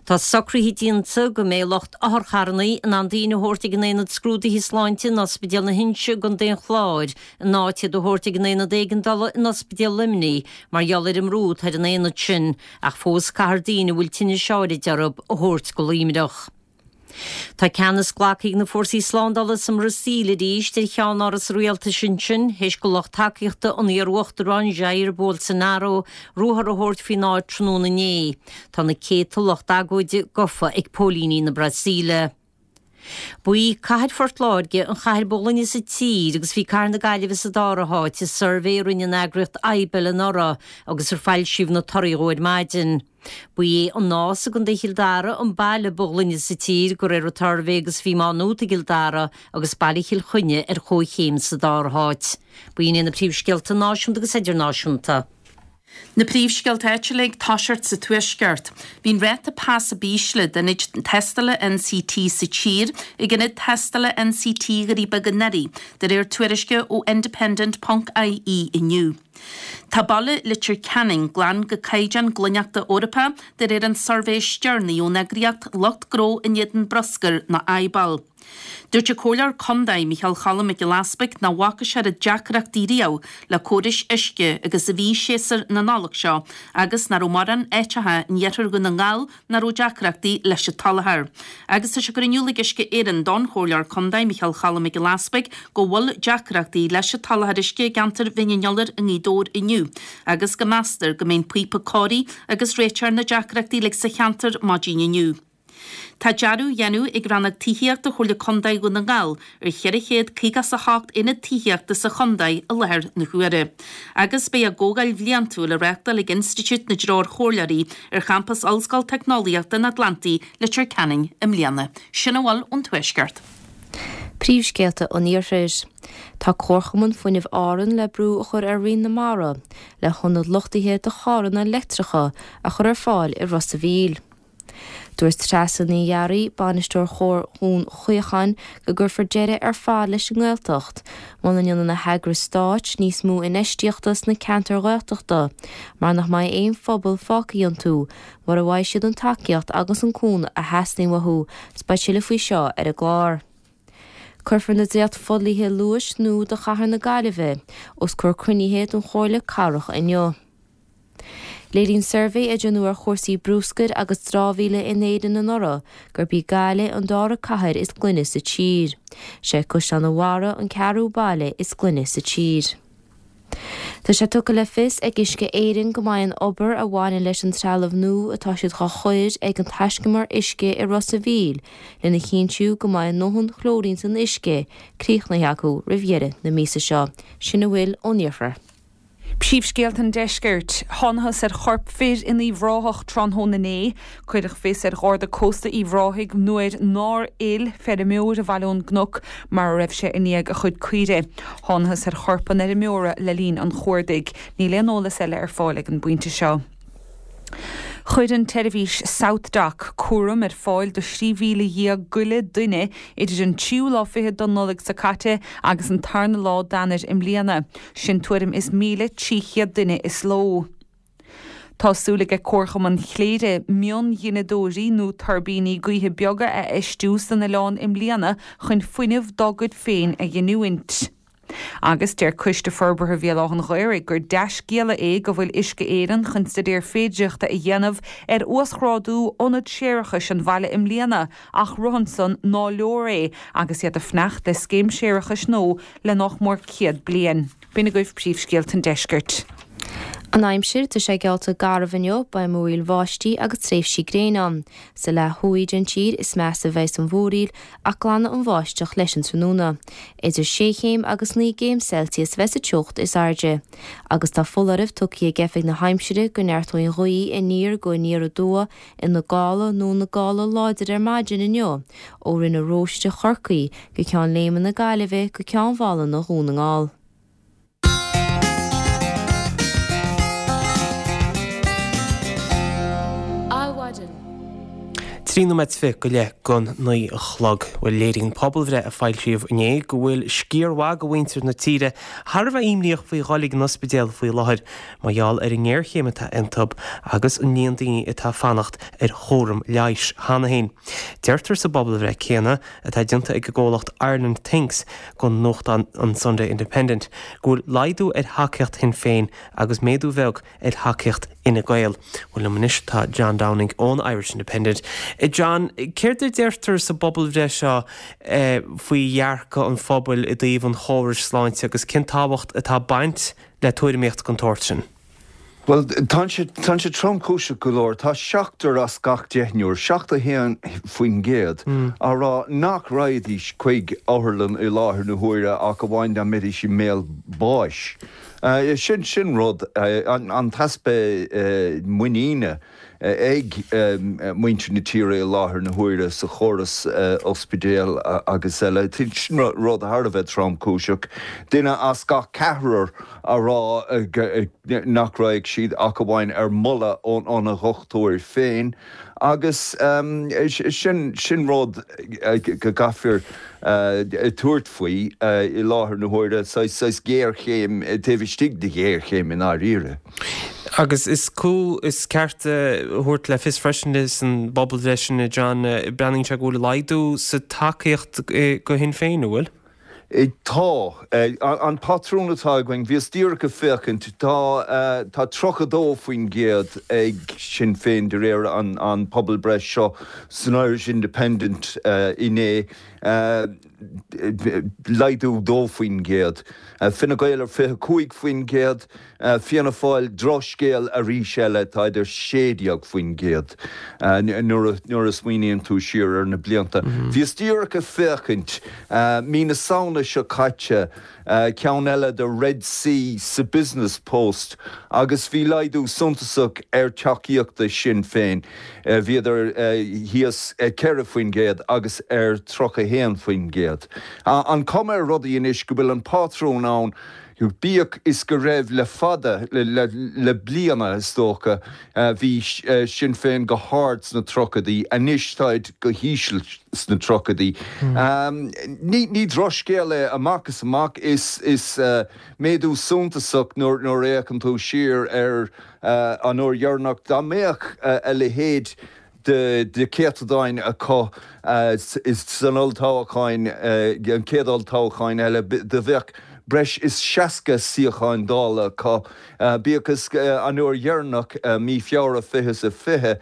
Tá socruithe déanta go mbeidh lucht otharcharranna in ann daoine a thabhairt ag an Aonad Scrúdaithe Sláinte in Ospidéal na hInse i gContae an Chláir in áit iad a thabhairt ag an Aonad Éigeandála in Ospidéal Luimnigh mar gheall ar an mbrú atá ar an aonad sin ach fós caithfear daoine a bhfuil tinnis áirid orthu a thabhairt go Luimneach. Tá ceannas glactha ag na fórsaí slándála sa mBrasaíl arís ar cheannáras an rialtais ansin, théis do lucht tacaíochta an iar-uachtaráin Jair Bolsonaro ruathar a thabhairt faoin áit tráthnóna inné. Tá na céadta lucht agóide gafa ag póilíní na Brasaíle. Ba í cathair Phort Láirge an chathair ba ghlaine sa tír agus bhí cathair na Gaillimhe sa dara háit i suirbhé a rinne an eagraíocht IBEL anuraidh agus ar foilsíodh na torthaí dhó ar maidin. Ba é an Nás i gContae Chill Dara an baile ba ghlaine sa tír de réir an tsuirbhé agus bhí Má Nuat i gCill Dara agus Baile Chill Chainnigh ar comhchéim sa dara háit. B'in iad na príomhscéalta náisiúnta agus idirnáisiúnta. Na príomhscéalta áitiúla ag toiseacht sa Tuaisceart. Bhí an ráta pas ab ísle d'ionaid tástála NCT sa tír ag ionad tástála NCT Dhoirí Beaga anuraidh, de réir tuairisce ó Independent ponc IE inniu. Tá baile Leitir Ceanainn glan go caighdeán glaineachta Eorpach de réir an tsuirbhé is deireanaí ón eagraíocht lucht gnó in éadan bruscair nó IBAL. Dúirt an Comhairleoir Contae Micheál Cholm Mac Giolla Easpaig nach bhfaca sé oiread deacrachtaí riamh le córais uisce agus a bhí séasúr na Nollag seo agus nach raibh mórán áiteacha in iarthar Dhún na nGall nach raibh deacrachtaí leis an tsoláthar. Agus tá sé curtha in iúl ag Uisce Éireann don Chomhairleoir Contae Micheál Cholm Mac Giolla Easpaig go bhfuil deacrachtaí leis an tsoláthar uisce i gceantar Bhinn an Iolair i nGaoth Dobhair inniu agus go meastar go mbeidh an píopa cóirithe agus réiteofar na deacrachtaí uilig sa cheantar maidin inniu. Tá dearadh á dhéanamh ag Rannóg Tithíochta Chomhairle Contae Dhún na nGall ar cheithre chéad caoga is a hocht aonad tithíochta sa chontae i láthair na huaire. Agus beidh a gcomhdháil bhliantúil á reáchtáil ag Institiúid na dTreoirchomhairleoirí ar champas Ollscoil Teicneolaíochta an Atlantaigh, Leitir Ceanainn i mbliana. Sin a bhfuil ón Tuaisceart. Príomhscéalta an Iarthair. Tá Comharchumann Fuinnimh Árann le brú a chur ar Roinn na Mara le hionad luchtaithe do charranna leictreacha a chur ar fáil i Ros a' Mhíl. Dúirt Treasa Ní Fhearraigh, bainisteoir Chór Dhún Chaocháin, go gcuirfear deireadh ar fad leis an nGaeltacht muna ndéanann na heagrais stáit níos mó infheistíochta sna ceantair Ghaeltachta mar nach mbeidh aon phobal fágtha iontu mura bhfaighidh siad an tacaíocht agus an cúnamh a theastaíonn uathu. 'S beidh tuilleadh faoi seo ar an gclár. Cuirfear na dréacht-fhodhlíthe luais nua do chathair na Gaillimhe os comhair cruinnithe den Chomhairle Cathrach inniu. Léiríonn suirbhé a déanadh ar chúrsaí bruscair agus dramhaíola in Éirinn anuraidh gurb í Gaillimh an dara cathair is glaine sa tír. Sé Caisleán an Bharraigh an ceathrú baile is glaine sa tír. Tá sé tugtha le fios ag Uisce Éireann go mbeidh an obair a bhaineann leis an trealamh nua atá siad dhá chur ag an taiscumar uisce i Ros a' Mhíl lena chinntiú go mbeidh a ndóthain clóirín san uisce críochnaithe acu roimh dheireadh na míosa seo. Sin a bhfuil ón iarthar. Príomhscéalta an Deiscirt. Thángthas ar chorp fir in Uíbh Ráthach tráthnóna inné. Cuireadh fios ar Gharda Cósta Uíbh Ráthaigh nuair nár fhill feirmeoir abhaile ón gcnoc mar a raibh sé i ndiaidh a chuid caoirigh. Thángthas ar chorp an fheirmeora le linn an chuardaigh. Níl aon eolas eile ar fáil ag an bpointe seo. Chuir an tseirbhís SouthDoc cúram ar fáil do thrí mhíle dhéag go leith duine idir an tríú lá fichead den Nollaig seo caite agus an tarna lá d'Eanáir i mbliana, sin tuairim is míle trí chéad duine is ló. Tá súil ag Comharchumann Chléire mionghineadóirí nó tuirbíní gaoithe beaga a fheistiú san oileán i mbliana chun fuinneamh dá gcuid féin a ghiniúint. Agus deir Coiste Forbartha Bhéal Átha an Ghaorthaidh gur dea-scéala é go bhfuil Uisce Éireann chun staidéar féidearthachta a dhéanamh ar uasghrádú ionad séarachais an bhaile i mbliana ach rud ansan ná leor é agus iad ag fanacht le scéim séarachais nua le nach mór céad bliain. B'in agaibh príomhscéalta an deiscirt. An aimsir, tá sé geallta garbh inniu, beidh múraíl bháistí agus tréimhsí gréine ann. Sa leath thuaidh den tír is measa a bheidh an mhúraíl ach glanfaidh an bháisteach leis an tráthnóna. Idir sé chéim agus naoi gcéim Celsius a bheidh sa teocht is airde. Agus tá foláireamh tugtha ag Oifig na hAimsire go neartóidh an ghaoth aniar go aniar aduaidh ina gála nó ina gála láidir ar maidin inniu ó Rinn na Róiste Chorcaí go Ceann Léime na Gaillimhe go Ceann Mhálanna Dhún na nGall. Adhmhaidin. Trí nóiméad is fiche go leith don naoi a chlog. Bhuel, léiríonn pobalbhreith a foilsíodh inné go bhfuil sciar mhaith de mhuintir na tíre thar a bheith imníoch faoi dhul ag an ospidéal faoi láthair mar gheall ar an ngéarchéim atá iontu agus an líon daoine atá ag fanacht ar chúram leighis cheana féin. Deirtear sa bpobalbhreith céanna, atá déanta ag an gcomhlacht Ireland Thinks don nuachtán an Sunday Independent, go bhfuil laghdú ar thacaíocht Shinn Féin agus méadú bheag ar thacaíocht Fhine Gael. Bhuel, liom anois tá John Downing ón Irish Independent. John, céard a deirtear sa bpobalbhreith seo faoi dhearcadh an phobail i dtaobh an chórais sláinte agus cén tábhacht atá ag baint le tuairimíocht den tsórt sin? Bhuel, tá sé, tá sé tromchúiseach go leor. Tá seachtar as gach deichniúr, seachtó a haon faoin gcéad, á rá nach raghaidís chuig otharlann i láthair na huaire ach amháin dá mbeidís i mbéal báis. Sin, sin rud, an t-easpa muiníne ag muintir na tíre i láthair na huaire sa chóras ospidéal agus eile. Sin rud thar a bheith tromchúiseach. Duine as gach ceathrar á rá nach raghadh siad ach amháin ar mholadh óna dhochtúir féin agus sin sin rud go gcaithfear tabhairt faoi i láthair na huaire, saghas géarchéim taobh istigh de ghéarchéim i ndáiríre. Agus is cú is ceart a thabhairt le fios freisin san bpobalbhreith sin, John, breathnaíonn sé go bhfuil laghdú sa tacaíocht go Shinn Féin, an bhfuil? Tá. An patrún atá againn, bhíos díreach ag féachaint, tá tá tríocha dó faoin gcéad ag Sinn Féin de réir an pobalbhreith seo san Irish Independent inné, laghdú dó faoin gcéad. Fine Gael ar fiche cúig faoin gcéad, Fianna Fáil, drochscéal arís eile, tá idir sé déag faoin gcéad nuair a smaoiníonn tú siar ar na blianta. Bhíos díreach ag féachaint, mí na Samhna seo caite, ceann eile de Red C sa Business Post agus bhí laghdú suntasach ar tacaíocht do Shinn Féin. Bhíodar thíos ceithre faoin gcéad agus ar tríocha haon faoin gcéad. An cuma ar rudaí anois go bhfuil an pátrún ann Bíodh is go raibh le fada le, le, le bliana is dócha bhí Sinn Féin go hard sna tríochaidí, anois táid go híseal sna tríochaidí. Ní, ní drochscéal é amach is amach, is, is méadú suntasach nuair, nuair a fhéachann tú siar ar an uair dheireanach dá mbeadh a leithéid de de chéatadáin acu san olltoghchán, an chéad olltoghchán eile, do bheadh breis is seasca suíochán Dála acu. Bíodh is an uair dheireanach, mí Feabhra fiche is a fiche,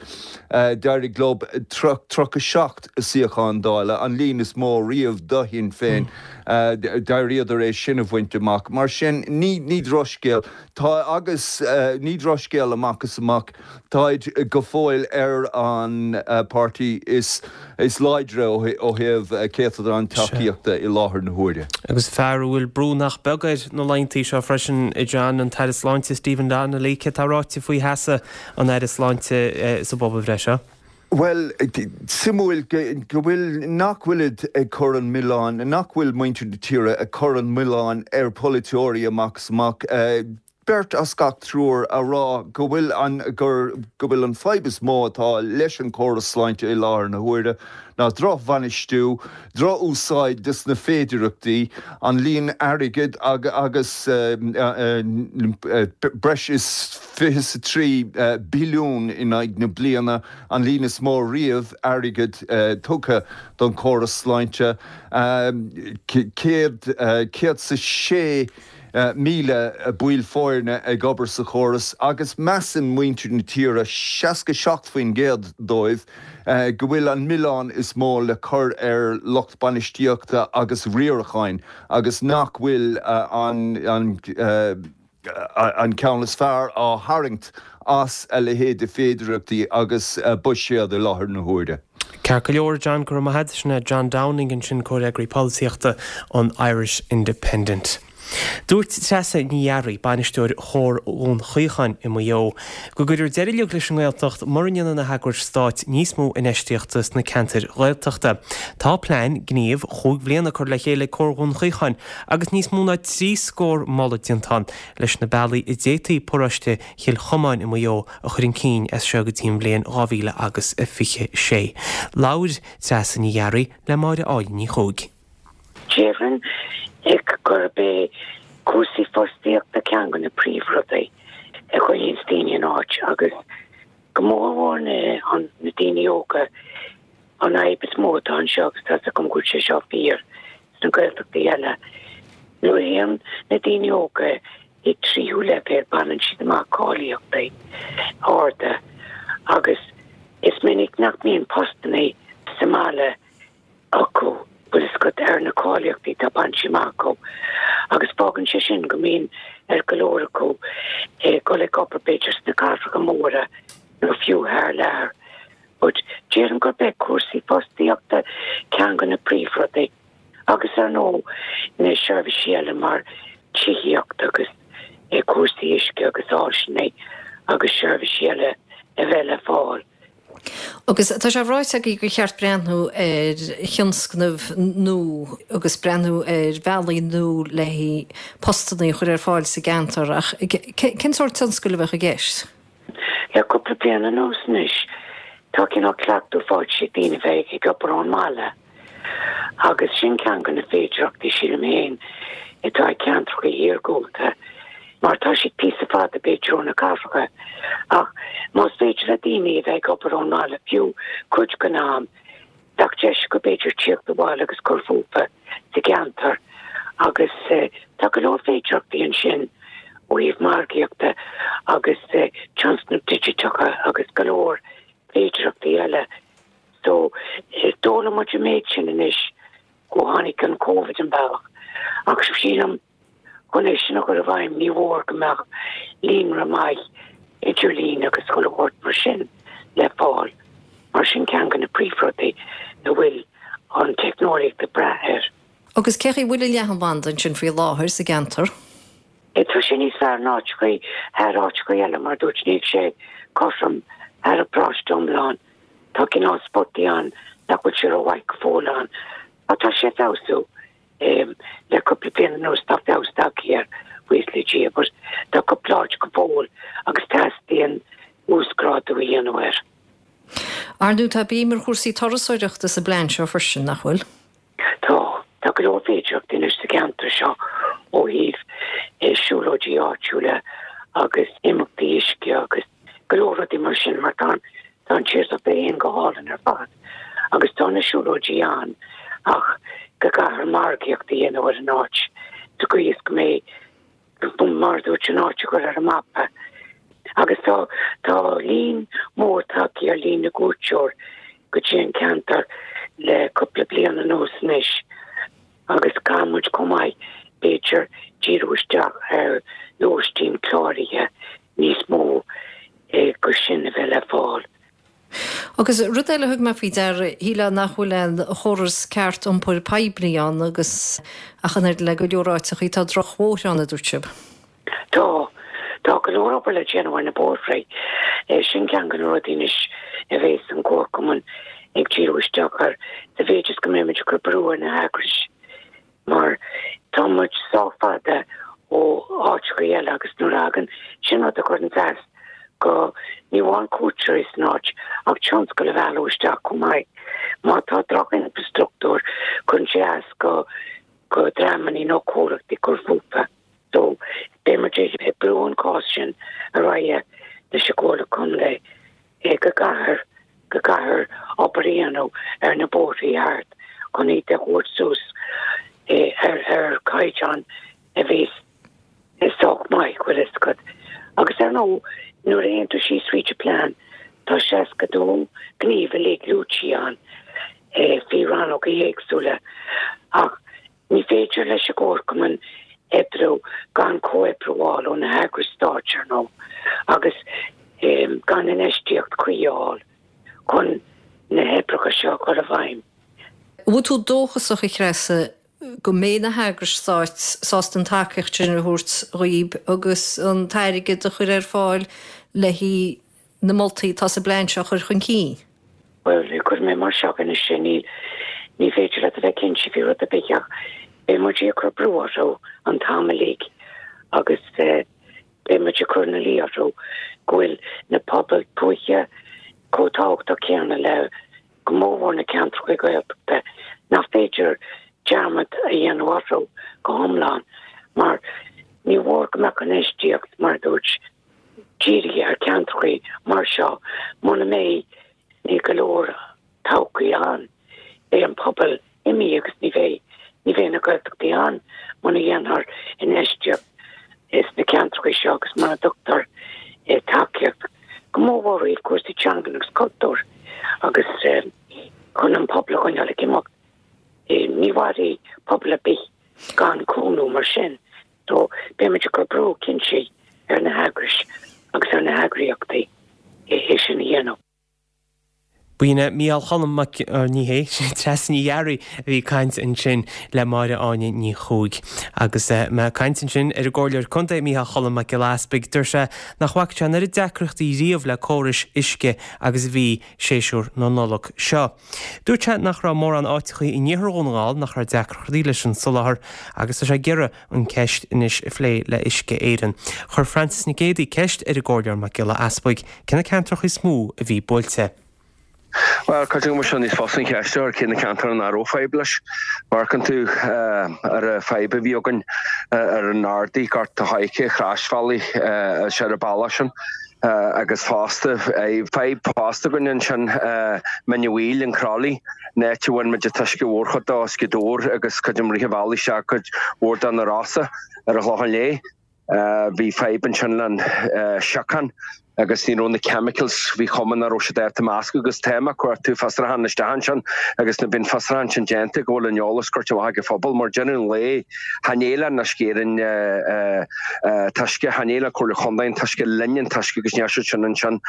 d'éirigh leo tríocha seacht suíochán Dála, an líon is mó riamh do Shinn Féin, d'éiríodar é sin a bhaint amach. Mar sin, ní ní drochscéal. Tá agus ní drochscéal amach is amach. Táid go fóill ar an páirtí is is láidre ó thaobh céatadán tacaíochta i láthair na huaire. Agus fear a bhfuil brú nach beag air na laethanta seo freisin, a John, an tAire Sláinte Stephen Donnelly, céard atá ráite faoi sheasamh an Aire Sláinte sa bpobalbhreith seo? Bhuel, suimiúil go bhfuil, nach bhfuilid ag cur an milleáin, nach bhfuil muintir na tíre ag cur an milleáin ar pholaiteoirí amach is amach. Beirt as gach triúr a rá go bhfuil an, gur, go bhfuil an fadhb is mó atá leis an chóras sláinte i láthair na huaire ná drochbhainistiú, drochúsáid de na féidearthachtaí, an líon airgid agus breis is fiche is a trí billiún in aghaidh na bliana, an líon is mó riamh airgid tugtha don chóras sláinte, céad, céad is a sé míle baill foirne ag obair sa chóras agus measann muintir na tíre, seasca seacht faoin gcéad dóibh, go bhfuil an milleán is mó le cur ar lucht bainistíochta agus riaracháin agus nach bhfuil an an ceann is fearr á tharraingt as a leithéid de féidearthachtaí agus buiséad i láthair na huaire. Ceart go leor, John, go raibh maith agat. Sin é John Downing ansin, Comhfhreagraí Polaitíochta an Irish Independent. Dúirt Treasa Ní Fhearraigh, bainisteoir Chomhar Dhún Chaocháin i Maigh Eo, go gcuirfear deireadh uilig leis an nGaeltacht mura ndéanann na heagrais stáit níos mó infheistíochta sna ceantair Ghaeltachta. Tá plean gnímh chúig bhliana curtha le chéile ag Comhar Dhún Chaocháin agus níos mó ná trí scór moladh déanta ann leis na bealaí a d'fhéadfaí paróiste Chill Chomáin i Maigh Eo a chur chun cinn as seo go dtí an bhliain dhá mhíle agus a fiche sé. Labhair Treasa Ní Fhearraigh le Máire Áine Ní Chuaig. Déarfainn gurb é cúrsaí fostaíochta ceann de na príomhrudaí a choinníonns daoine in áit agus go mórmhór na na daoine óga. An fhadhb is mó atá anseo, agus tá's agam go bhfuil sé seo fíor sna Gaeltachtaí eile, nuair a théann na daoine óga ag tríú leibhéal baineann siad amach cáilíochtaí arda agus is minic nach mbíonn postanna sa mbaile acu, bhfuil fhios agat, ar na cáilíochtaí atá bainte amach acu agus fágann sé sin go mbíonn ar go leor acu dul ag obair b'fhéidir sna cathracha móra nó fiú thar lear. But déarfainn gurb é cúrsaí fostaíochta ceann de na príomhrudaí agus ar ndóigh na seirbhísí eile mar tithíocht agus cúrsaí uisce agus áiseanna agus seirbhísí eile a bheith le fáil. Agus tá sé ráite agaibh gur cheart breathnú ar thionscnaimh nua agus breathnú ar bhealaí nua le haghaidh postanna a chur ar fáil sa gceantar ach cén sórt tionscail a bheadh i gceist? Le cúpla bliain anuas anois tá cineál cleachtadh faighte ag daoine bheith ag obair ón mbaile agus sin ceann de na féidearthachtaí sílim féin atá ag ceantracha iargúlta mar tá siad píosa fada b'fhéidir ó na cathracha ach más féidir le daoine a bheith ag obair ón mbaile fiú cuid den am, bheadh deis acu b'fhéidir tíocht abhaile agus cur fúthu sa gceantar agus tá go leor féidearthachtaí ansin ó thaobh margaíochta agus tionscnaimh digiteacha agus go leor féidearthachtaí eile. So d'fhoghlaim muid an méid sin anois ó tháinig an Covid an bealach ach sílim Chun é sin a chur i bhfeidhm ní mhór go mbeadh líonra maith idirlín agus chuile shórt mar sin le fáil, mar sin ceann de na príomhrudaí a bhfuil an teicneolaíocht ag brath air. Agus cé chaoi bhfuil an leathanbhanda ansin faoi láthair sa gceantar? Tá sé níos fearr ná áiteachaí thar áiteachaí eile, mar dúirt níl sé cothrom thar an bparóiste iomlán. Tá cineál spotaí ann nach bhfuil sé rómhaith go fóill ann, ach tá sé ag feabhsú. Le cúpla bliain anuas tá feabhas tagtha air, buíochas le Dia, but tá cúpla áit go fóill agus teastaíonn uasghrádú a dhéanamh air. Ar ndóigh tá béim ar chúrsaí turasóireachta sa bplean seo freisin, nach bhfuil? Tá. Tá go leor féidearthachtaí anois sa gceantar seo ó thaobh siúlóidí áitiúla agus imeachtaí uisce agus go leor rudaí mar sin mar tá tá an tírdhreach féin go hálainn ar fad agus tá na siúlóidí ann ach go gcaithfear margaíocht a dhéanamh ar an áit sa gcaoi is go mbeidh mar a dúirt an áit a chur ar an mapa. Agus tá tá líon mór tagtha ar líon na gcuairteoir go dtí an ceantar le cúpla bliain anuas anois agus caithfidh muid chomh maith b'fhéidir díriú isteach ar lóistín cláraithe níos mó go sin a bheith le fáil. Agus rud eile a thug mé faoi deara, shílfeá nach bhfuil aon chóras ceart iompair poiblí ann agus ach an oiread le go leor áiteachaí tá drochbhóithre ann, a dúirt sibh. Tá. Tá go leor obair le déanamh ar na bóithre. Sin ceann de na rudaí anois a bheas an Comharchumann ag díriú isteach air sa mhéid is go mbeimid ag cur brú ar na heagrais mar tá muid sách fada ó áiteachaí eile agus nuair a thagann, sin rud a chuireann as go, ní amháin cuairteoirí san áit ach tionscal a mhealladh isteach chomh maith. Má tá droch-infrastruchtúr cuireann sé as go go dreamannaí nó comhlachtaí cur fúthu. So beidh muid ag brú an cás sin ar aghaidh leis an gComhairle Contae go gcaithfear go gcaithfear obair a dhéanamh ar na bóithrí thart chun iad a thabhairt suas ar ar chaighdeán a bheas sách maith, bhfuil fhios agat. Agus ar ndóigh, nuair a théann tú síos fríd an plean, tá seasca dó gníomh uilig luaite ann faoi rannóga éagsúla ach ní féidir leis an gComharchumann oibriú gan comhoibriú a fháil ó na heagrais stáit, ar ndóigh, agus gan infheistíocht chuí a fháil chun na hoibreacha seo a chur i bhfeidhm. An bhfuil tú dóchasach, a Threasa, go mbeidh na heagrais stáit sásta an tacaíocht sin a thabhairt dhaoib agus an t-airgead a chur ar fáil le haghaidh na moltaí atá sa bplean seo a chur chun cinn? Bhuel, cuirfidh mé mar seo anois é, níl, ní féidir leat a bheith cinnte faoi rud ar bith ach beidh muid ag cur brú orthu an t-am uilig agus beidh muid ag cur ina luí orthu go bhfuil na pobail tuaithe chomh tábhachtach céanna le go mórmhór na ceantracha Gaeltachta nach féidir dearmad a dhéanamh orthu go hiomlán mar ní mhór go mbeadh infheistíocht, mar a dúirt, dírithe ar cheantracha mar seo muna mbeidh ní go leor todhchaí ann. Beidh an pobal imithe agus ní bheidh ní bheidh na Gaeltachtaí ann muna dhéanfar infheistíocht sna ceantracha seo agus muna dtugtar tacaíocht go mórmhór ó thaobh cúrsaí teangan agus cultúir agus chun an pobal a choinneáil ag imeacht. Ní mhairfidh pobal ar bith gan cúnamh mar sin. So beidh muid ag cur brú cinnte ar na heagrais agus ar na heagraíochtaí é sin a dhéanamh. B'in é Mícheál Cholm Mac, ní hé, sin Treasa Ní Fhearraigh a bhí ag caint ansin le Máire Áine Ní Chuaig. Agus mé ag caint ansin ar an gComhairleoir Contae Mícheál Cholm Mac Giolla Easpaig, deir sé nach bhfaca sé an oiread deacrachtaí riamh le córais uisce agus a bhí séasúr na Nollag seo. Dúirt sé nach raibh mórán áiteachaí in iarthar Dhún na nGall nach raibh deacrachtaí leis an soláthar agus tá sé ag iarraidh an ceist anois a phlé le Uisce Éireann. Chuir Frances Nic Géadaigh ceist ar an gComhairleoir Mac Giolla Easpaig cé na ceantracha is mó a bhí buailte. Bhuel, creidim go bhfuil sé níos fusa an cheist a chur cé na ceantair nach raibh fadhb leis. Má amharcann tú ar an fadhb a bhí againn ar an Ardaí, Gort a' Choirce, Croisbhealaí, sé ar an bealach sin agus fosta, fadhb fosta againn ansin, Mín an Mhaoil, an Crolly, an áit a bhain muid an t-uisce mhórchuid dó as Gaoth Dobhair agus creidim rith an bhealaigh isteach cuid mhór de na Rosa ar an Chlochán Léith. Bhí fadhb ansin le an siocán agus ní raibh na chemicals, bhí cuma nach raibh siad ábalta meascadh agus tá mé ag cuartú fiosrúchán isteach ansin agus nuair bíonn fiosrúchán sin déanta go bhfuil an eolas curtha amach ag an phobal mar deireadh an lae chan é le Uisce Éireann an t-uisce, chan é le Comhairle Chontae an t-uisce, linn an t-uisce agus níl siad sin ansin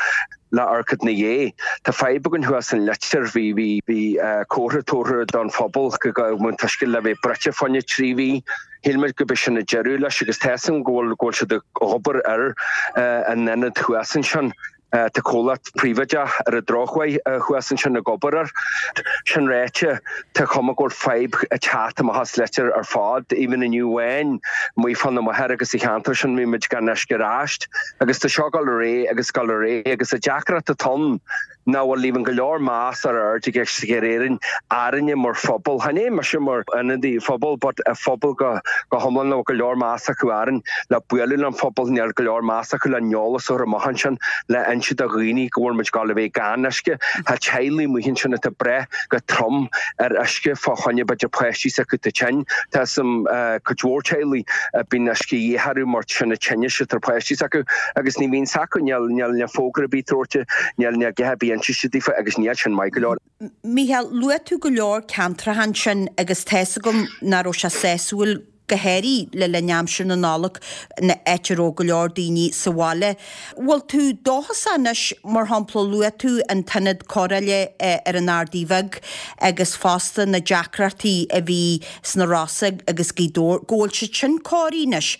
le amharc ina dhiaidh. Tá fadhb againn thuas in Leitir, bhí bhí bhí comhartha tabhartha don phobal go mbeadh an t-uisce le bheith bruite fá choinne trí mhí. Shíl muid go b'é sin an deireadh leis agus tá 'fhios agam go bhfuil go bhfuil siad ag obair ar an ionad thuas ansin Tá comhlacht príobháideach ar an drochuair thuas ansin ag obair air. Sin ráite, tá cuma go bhfuil fadhb ag teacht amach as Leitir ar fad. Even inniu amháin, amuigh fá na Machaire agus sa cheantar sin bhí muid gan uisce arís. Agus tá seo ag dul ar aghaidh agus ag dul ar aghaidh agus an deacracht atá ann ná bhfuil even go leor meas ar aird ag Uisce Éireann orainne mar phobal. Chan é mise mar ionadaí phobail but an phobal go go hiomlán nach bhfuil go leor meas acu orainn le bualadh le an phobal, níl go leor meas acu le an eolas a chur amach ansin le inse do dhaoine go bhfuil muid ag dul a bheith gan uisce. Tá teaghlaigh amuigh ansin atá ag brath go trom ar uisce fá choinne b'fhéidir páistí s'acu atá tinn. Tá 'fhios a'm cuid mhór teaghlaigh a bíonn uisce de dhíth orthu mar sin an tinneas atá ar páistí s'acu agus ní bhíonn s'acu, níl níl fógra ar bith tabhairte, níl níl a dhath ar bith inste daofa agus níl sin maith go leor. Mícheál, luaigh tú go leor ceantracha ansin agus tá 'fhios agam nach raibh sé sásúil go háirithe le linn aimsir na Nollag, áit a raibh go leor daoine sa bhaile. Bhfuil tú dóchasach anois, mar shampla, luaigh tú an t-ionad cóireála ar an Ardaidh Bheag agus fosta na deacrachtaí a bhí sna Rosa agus Gaoth Dobhair, go bhfuil siad sin cóirithe anois?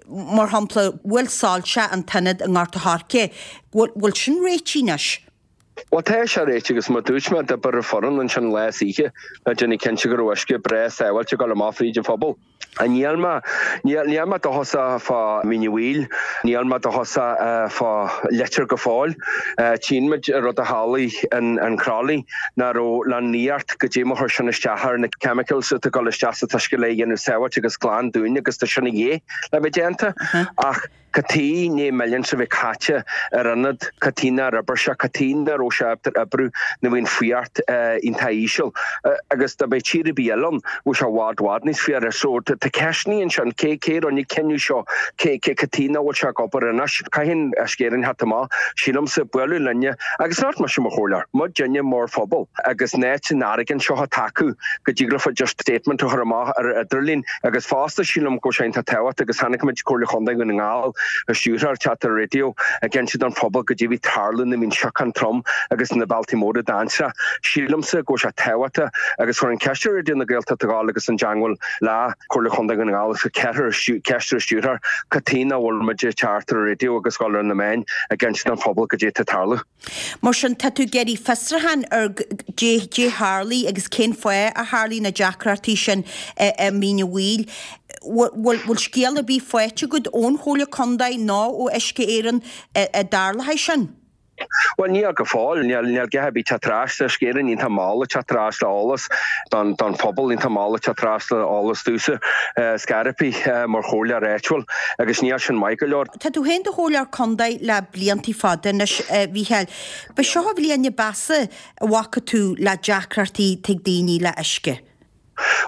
Mar shampla, bhfuil soilse an t-ionad i nGort a' Choirce, bhfuil sin réitithe anois? Bhuel tá sé réitithe agus mar dúirt mé d'oibir an foireann ansin lá is oíche le déanamh cinnte go raibh uisce breá sábháilte ag dul amach fríd an phobal. Níl mé, níl mé dóchasach fá Mín an Mhaoil, níl mé dóchasach fá Leitir go fóill. Tchíonn muid an rud a tharlaigh in Crolly, nach raibh le nuacht goidé mar chuir sin isteach ar na chemicals atá ag dul isteach sa t-uisce le dhéanamh sábháilte agus glan dúinn agus tá sin a dhíth le bheith déanta. Ach cad chuige i ndiaidh millions a bheith caite ar ionad, cad chuige nár oibir sé, cad chuige nach raibh sé ábalta oibriú nuair a bhí an fuacht iontach íseal. Agus dá mbeadh tír ar bith eile ann, bheadh sé i bhfad bhfad níos fuaire. So tá ceisteanna ansin, cé cé a rinne an cinneadh seo, cé cé cad chuige nach bhfuil sé ag obair anois? Caithfidh Uisce Éireann theacht amach, sílimse, bualadh linne, agus not mise mar chomhairleoir, muidinne mar phobal, agus an áit an airgead seo atá acu go dtig leofa just statement a chur amach ar an idirlíon agus fosta sílim go bhfuil sé iontach tábhachtach agus chonaic muid Comhairle Chontae Dhún na nGall an stiúrthóir ag teacht ar an raidió ag inse don phobal goidé a bhí ag tarlú nuair a bhí an siocán trom agus na bealtaí móra dainséarach. Sílimse go bhfuil sé tábhachtach agus chuir an ceist ar Raidió na Gaeltachta a ghabháil agus i dteangmháil le Comhairle Chontae Dhún na nGall agus ceist ar an stiúrthóir cad chuige nach bhfuil muid ag teacht ar an raidió agus dhul ar na meáin ag inse don phobal goidé atá ag tarlú. Mar sin, tá tú ag iarraidh fiosrúchán ar goidé a tharlaigh agus cén fáth a tharlaigh na deacrachtaí sin i Mín an Mhaoil. Bhfuil scéal ar bith faighte agat ón Chomhairle Contae nó ó Uisce Éireann a dtarlaigh sin? Bhuel, níl go fóill. Níl a dhath ar bith teacht ar ais. Tá Uisce Éireann iontach mall ag teacht ar ais le eolas don phobal, iontach mall ag teacht ar ais le eolas domhsa, scaireapaí mar chomhairleoir áitiúil agus níl sin maith go leor. Tá tú féin i do chomhairleoir contae le blianta fada anois, a Mhícheáil. B'é seo an bhliain ab mheasa a bhfaca tú le deacrachtaí ag daoine le uisce.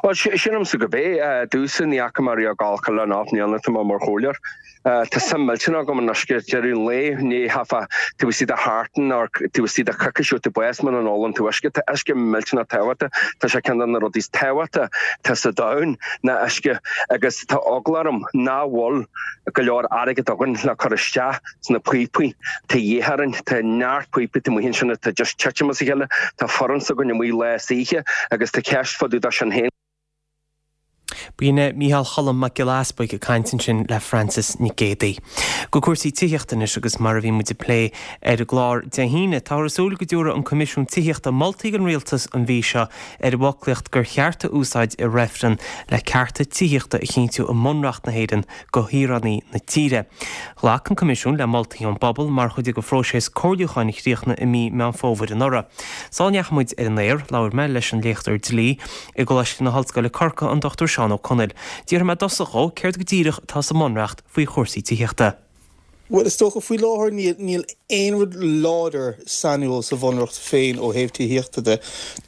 Bhuel, sílimse gurb é. Domhsa, ní fhaca mé riamh ag gabháil le ocht mbliana atá mé mar chomhairleoir. Tá suim millteanach agam in uisce. Deireadh an lae, ní theifeá taobh istigh de sheachtain nó taobh istigh de choicís ó tú bás muna n-ólann tú uisce. Tá uisce millteanach tábhachtach. Tá sé ceann de na rudaí is tábhachtaí atá sa domhan ná uisce agus tá eagla orm nach bhfuil go leor airgead againn le cur isteach sna píopaí. Tá de dhíth orainn. Tá neart píopaí taobh amuigh ansin atá just titim as a chéile. Tá foireann s'againn amuigh lá is oíche agus tá ceist fá dtaobh de sin féin. B'in é Mícheál Cholm Mac Giolla Easpaig ag caint ansin le Frances Nic Géadaigh. Go cúrsaí tithíochta anois agus mar a bhí muid ag plé ar an gclár Dé hAoine, táthar ag súil go dtabharfaidh an Coimisiún Tithíochta moltaí don Rialtas an mhí seo ar an bhfoclaíocht gur cheart a úsáid i reifreann le cearta tithíochta a chinntiú i mBunreacht na hÉireann do shaoránaigh na tíre. Ghlac an Coimisiún le moltaí ón bpobal mar chuid de phróiseas comhairliúcháin a chríochnaigh i mí Meán Fómhair anuraidh. Sula ndeachaigh muid ar an aer, labhair mé leis an léachtóir dlí i gColáiste na hOllscoile Corcaigh, an Dochtúir Seán Ó Conaill. D'fhiafraigh mé i dtosach dhó céard go díreach atá sa mBunreacht faoi chúrsaí tithíochta. Bhuel, is dócha, faoi láthair níl níl aon rud láidir sainiúil sa Bhunreacht féin ó thaobh tithíochta de.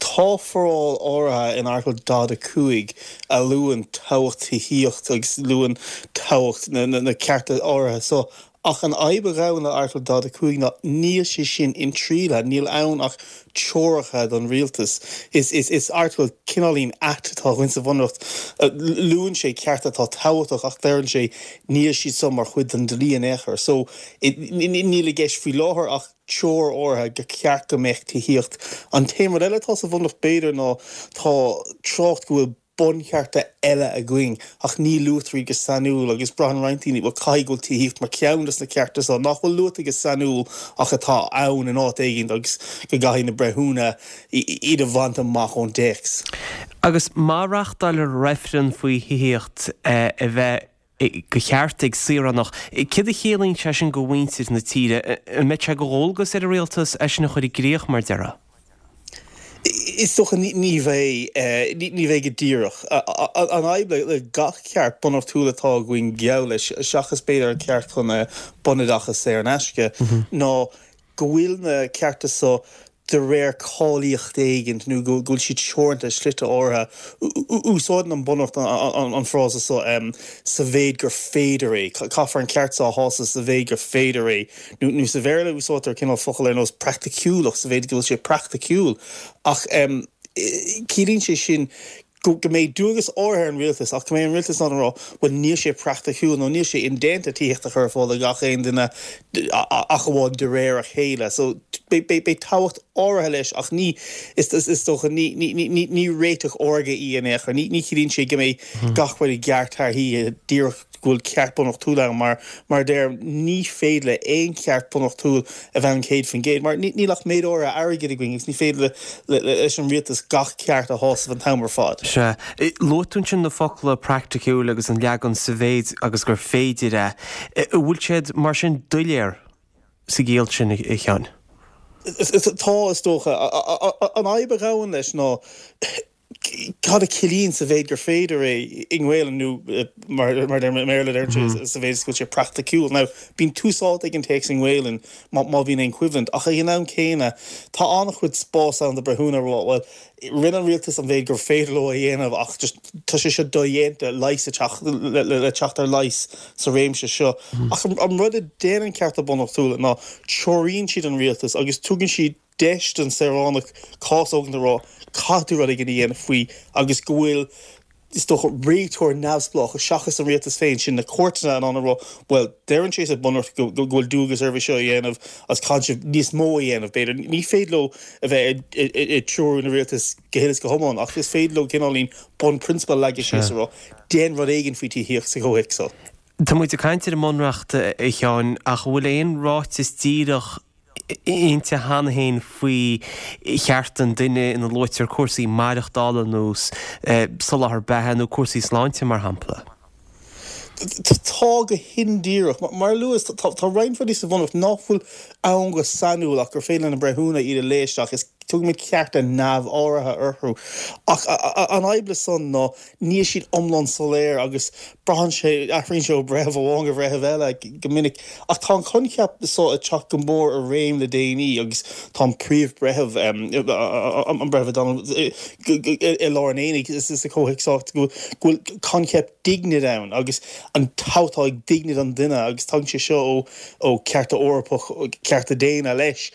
Tá foráil áirithe in Airteagal daichead a cúig a luann tábhacht tithíocht agus luann tábhacht na na na cearta áirithe so ach an fhadhb a ghabhann le Airteagal daichead a cúig ná níl sé sin intriailthe, níl ann ach treoracha don rialtas. Is is is airteagal cineáilín ait atá againn sa Bhunreacht. Luann sé cearta atá tábhachtach ach deireann sé níl siad so mar chuid den dlí in aon chor. So níl i gceist faoi láthair ach treoir áirithe gur ceart go mbeadh tithíocht. An t-aon rud eile atá sa Bhunreacht b'fhéidir ná tá trácht go bhfuil bunchearta eile againn ach ní luaitear iad go sainiúil agus braitheann roinnt daoine, bhuel, caithfidh go bhfuil tithíocht mar cheann des na cearta so nach bhfuil luaite go sainiúil ach atá ann in áit éigin agus go gcaithfidh na breithiúna iad a bhaint amach ón dtéacs. Agus má reáchtáiltear reifreann faoi thithíocht a bheith de cheart ag saoránach, céard a chiallaíonn sé sin do mhuintir na tíre? An mbeidh sé de dhualgas ar an rialtas é sin a chur i gcrích, mar déarfá? Is dócha ní bheidh, ní bheidh go díreach. An fhadhb le gach ceart bunreachtúil atá againn geall leis, seachas b'fhéidir an ceart chun bunoideachas saor in aisce, ná go bhfuil na cearta so de réir cáilíocht éigin nó go bhfuil siad teoranta i slite áirithe. Úsáideann an Bunreacht an frása so sa mhéid gur féidir é, caithfear an ceart so a shásamh sa mhéid gur féidir é. Nó sa Bhéarla úsáidtear cineál focal ar nós praiticiúlacht, sa mhéid go bhfuil sé praiticiúil. Ach ciallaíonn sé sin go mbeidh dualgas áirithe ar an rialtas ach go mbeidh an rialtas in ann a rá, bhuel níl sé praiticiúil nó níl sé indéanta tithíocht a chur ar fáil do gach aon duine ach amháin de réir a chéile. So beidh tábhacht áirithe leis ach ní, is dócha, ní réiteach órga í in aon chor. Ní chiallaíonn sé go mbeidh gach rud i gceart thar oíche díreach go bhfuil ceart bunreachtúil ann mar, mar a deirim, ní féidir le aon cheart bunreachtúil a bheith ann céad faoin gcéad mar níl ach méid áirithe airgid againn agus ní féidir leis an rialtas gach ceart a shásamh an t-am ar fad. Sea. Luaigh tú ansin na focla praiticiúil agus an leagan sa mhéid agus gur féidir é. An bhfuil siad mar sin doiléir sa gciall sin, a Sheáin? Tá, is dócha. An fhadhb a ghabhann leis ná cad a chiallaíonn sa mhéid gur féidir é i nGaelainn nó mar a deirim i mBéarla deireann sé sa mhéid is go bhfuil sé praiticiúil. Now bíonn tús áite ag an téacs i nGaelainn má má bhíonn aon choimhlint ach ag an am céanna tá an-chuid spás ann do breithiúna a rá bhuel rinne an rialtas an mhéid gur féidir leo a dhéanamh ach just tá sé seo dodhéanta leigheas a teacht le teacht ar leigheas sa réimse seo. Ach an rud a déanann cearta bunreachtúla ná treoraíonn siad an rialtas agus tugann siad deis don saoránach cás a thógaint a rá caithfidh tú rud éigin a dhéanamh faoi agus go bhfuil, is dócha, réiteoir neamhspleách seachas an rialtas féin, sin na cúirteanna, in ann a rá bhuel, deireann sé sa Bhunreacht go bhfuil dualgas oraibh é seo a dhéanamh agus caithfidh sibh níos mó a dhéanamh, b'fhéidir. Ní féidir leo a bheith ag treorú na rialtas go huile is go hiomlán ach is féidir leo cineáilín bunphrionsabal a leagadh síos a rá déan rud éigin faoi tithíocht sa chomhthéacs seo. Tá muid ag caint ar an mBunreacht, a Sheáin, ach an bhfuil aon ráiteas díreach inti cheana féin faoi chearta an duine ina luaitear cúrsaí maireachtála nó soláthar beatha nó cúrsaí sláinte, mar shampla. Tá, go hindíreach. Mar a luas, tá roinnt rudaí sa Bhunreacht nach bhfuil ann go sainiúil ach gur féidir le na breithiúna iad a léamh isteach. Is tugaimid cearta neamháirithe orthu. Ach an fhadhb le san ná níl siad iomlán soiléir agus braitheann sé, athraíonn sé ó bhreitheamh amháin go bhreitheamh eile go minic. Ach tá an coincheap so ag teacht go mór i réim le déanaí agus tá an Príomh-Bhreitheamh, an Breitheamh O'Donnell, i lár an aonaigh sa chomhthéacs seo go bhfuil coincheap dignity ann agus an tábhacht atá ag dignity an duine agus tagann sé seo ó ó cearta Eorpach, cearta daonna leis.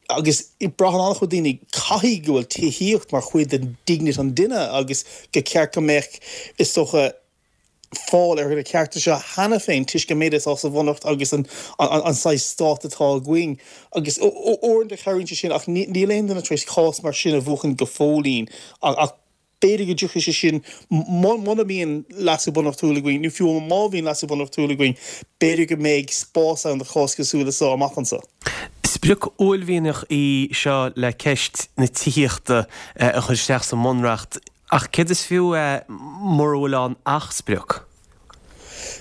Agus braitheann an-chuid daoine, caithfidh go bhfuil tithíocht mar chuid den dignity an duine agus gur ceart go mbeadh, is dócha, fáil ar na cearta seo cheana féin toisc an méid atá sa Bhunreacht agus an saghas stát atá againn. Agus uaireanta cabhraíonn sé sin ach níl aon duine tar éis cás mar sin a bhuachan go fóillín ach B'fhéidir go dtiocfaidh sé sin muna mbíonn leasú bunreachtúil againn, nó fiú má bhíonn leasú bunreachtúil againn, b'fhéidir go mbeidh spás ann do chás cosúil le seo amach anseo. Sprioc uaillmhianach í seo le ceist na tithíochta a chur isteach sa mBunreacht, ach céard is fiú é mura bhfuil ann ach sprioc?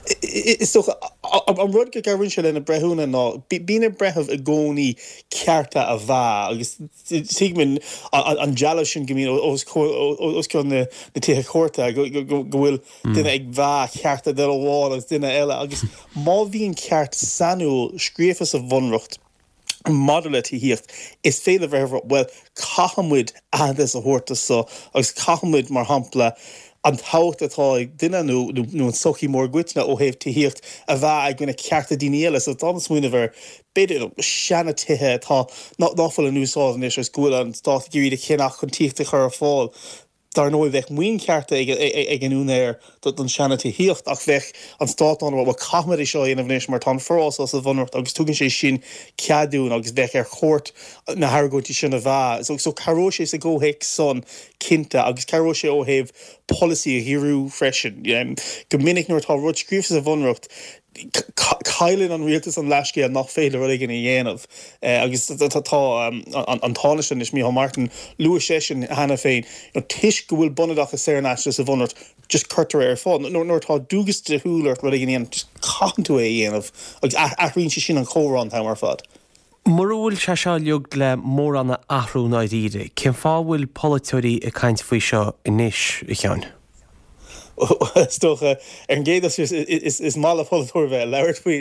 Is dócha, an rud go gcabhraíonn sé le na breithiúna ná bíonn ar breitheamh i gcónaí cearta a mheá agus tuigim an dealbh sin go mbíonn os cionn na tithe cúirte go bhfuil duine ag meá cearta duine amháin agus duine eile agus má bhíonn ceart sainiúil scríofa sa Bhunreacht, Maidir le tithíocht, is féidir le breitheamh a rá, bhuel, caithfidh muid aitheantas a thabhairt do so agus caithfidh muid, mar shampla, an tábhacht atá ag duine nó nó an tsochaí mór i gcoitinne ó thaobh tithíocht a mheá i gcoinne cearta daoine eile. So tá mé ag smaoineamh ar, b'fhéidir, seana-tithe atá, nach bhfuil in úsáid anois agus go bhfuil an stát ag iarraidh iad a cheannach chun tithíocht a chur ar fáil. Dar ndóigh bheadh maoin chearta ag an úinéir don seana-tithíocht ach bheadh an stát in ann a rá bhuel caithfimid é seo a dhéanamh anois mar tá an foráil seo sa Bhunreacht agus tugann sé sin cead dúinn agus bheadh ar chúirt na hargóintí sin a mheá. So so cabhróidh sé sa gcomhthéacs san cinnte agus cabhróidh sé ó thaobh polasaí a dhíriú freisin. Go minic nuair atá rud scríofa sa Bhunreacht cailleann an rialtas an leithscéal nach féidir rud éigin a dhéanamh agus tá an Tánaiste anois, Micheál Martin, luaigh seisean cheana féin, toisc go bhfuil bunoideachas saor in aisce sa Bhunreacht, just cuirtear é ar fáil. Nuair atá dualgas dlíthiúil ort rud éigin a dhéanamh, just caitheann tú é a dhéanamh agus athraíonn sé sin an chomhrá an t-am ar fad. Mura bhfuil sé seo uilig le mórán a athrú i ndáiríre, cén fáth a bhfuil polaiteoirí ag caint faoi seo anois, a Sheáin? Is dócha, ar an gcéad dul síos, is maith le polaiteoirí bheith ag labhairt faoi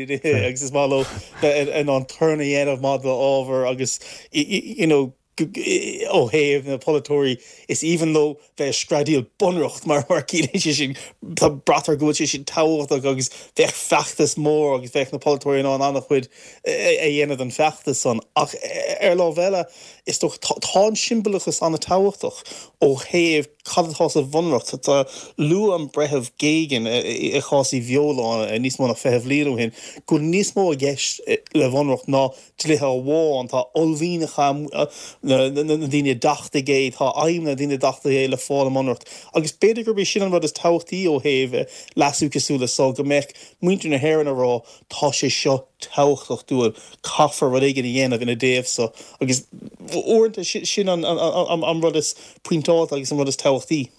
agus is maith leo bheith in ann torann a dhéanamh maidir le ábhar agus you know ó thaobh na polaiteoirí, is aoibhinn leo bheith ag screadaíl bunreacht mar mar ciallaíonn sé sin, tá braitear go bhfuil sé sin tábhachtach agus bheadh feachtas mór agus bheadh na polaiteoirí in ann an-chuid a dhéanamh den feachtas san. Ach ar lámh eile, is dócha, tá tá an siombalachas an-tábhachtach ó thaobh cad atá sa bhunreacht. Tá luaigh an Breitheamh Geoghegan i chás Uí Bheoláin níos mó ná fiche bhliain ó shin go bhfuil níos mó i gceist le bhunreacht ná dlíthe amháin, tá uaillmhianta na ndaoine a d'achtaigh é, tá aidhmeanna na ndaoine a d'achtaigh é le fáil i mbunreacht. Agus b'fhéidir gurb é sin an rud is tábhachtaí ó thaobh leasú cosúil le seo, go mbeadh muintir na hÉireann ag rá tá sé seo tábhachtach dúinn, caithfear rud éigin a dhéanamh ina dtaobh so. Agus uaireanta sin an rud is pointeálta agus an rud is tábhachtaí.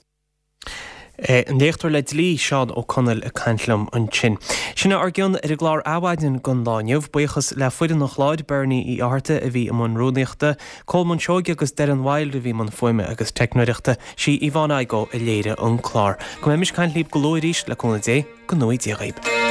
An léachtóir le dlí, Seán Ó Conaill ag caint liom ansin. Sin é ár gcion ar an gclár Adhmhaidin don lá inniu. Buíochas le foireann an chláir, Bernie Uí Fhátharta a bhí i mbun rúnaíochta, Colmán Seoige agus Doireann Wilde a bhí i mbun fuaime agus teicneoireachta, sí Yvonne Igoe a léirigh an clár. Go mbeimis ag caint libh go luath arís, le cúnamh Dé, go ngnóthaí Dia dhaoib.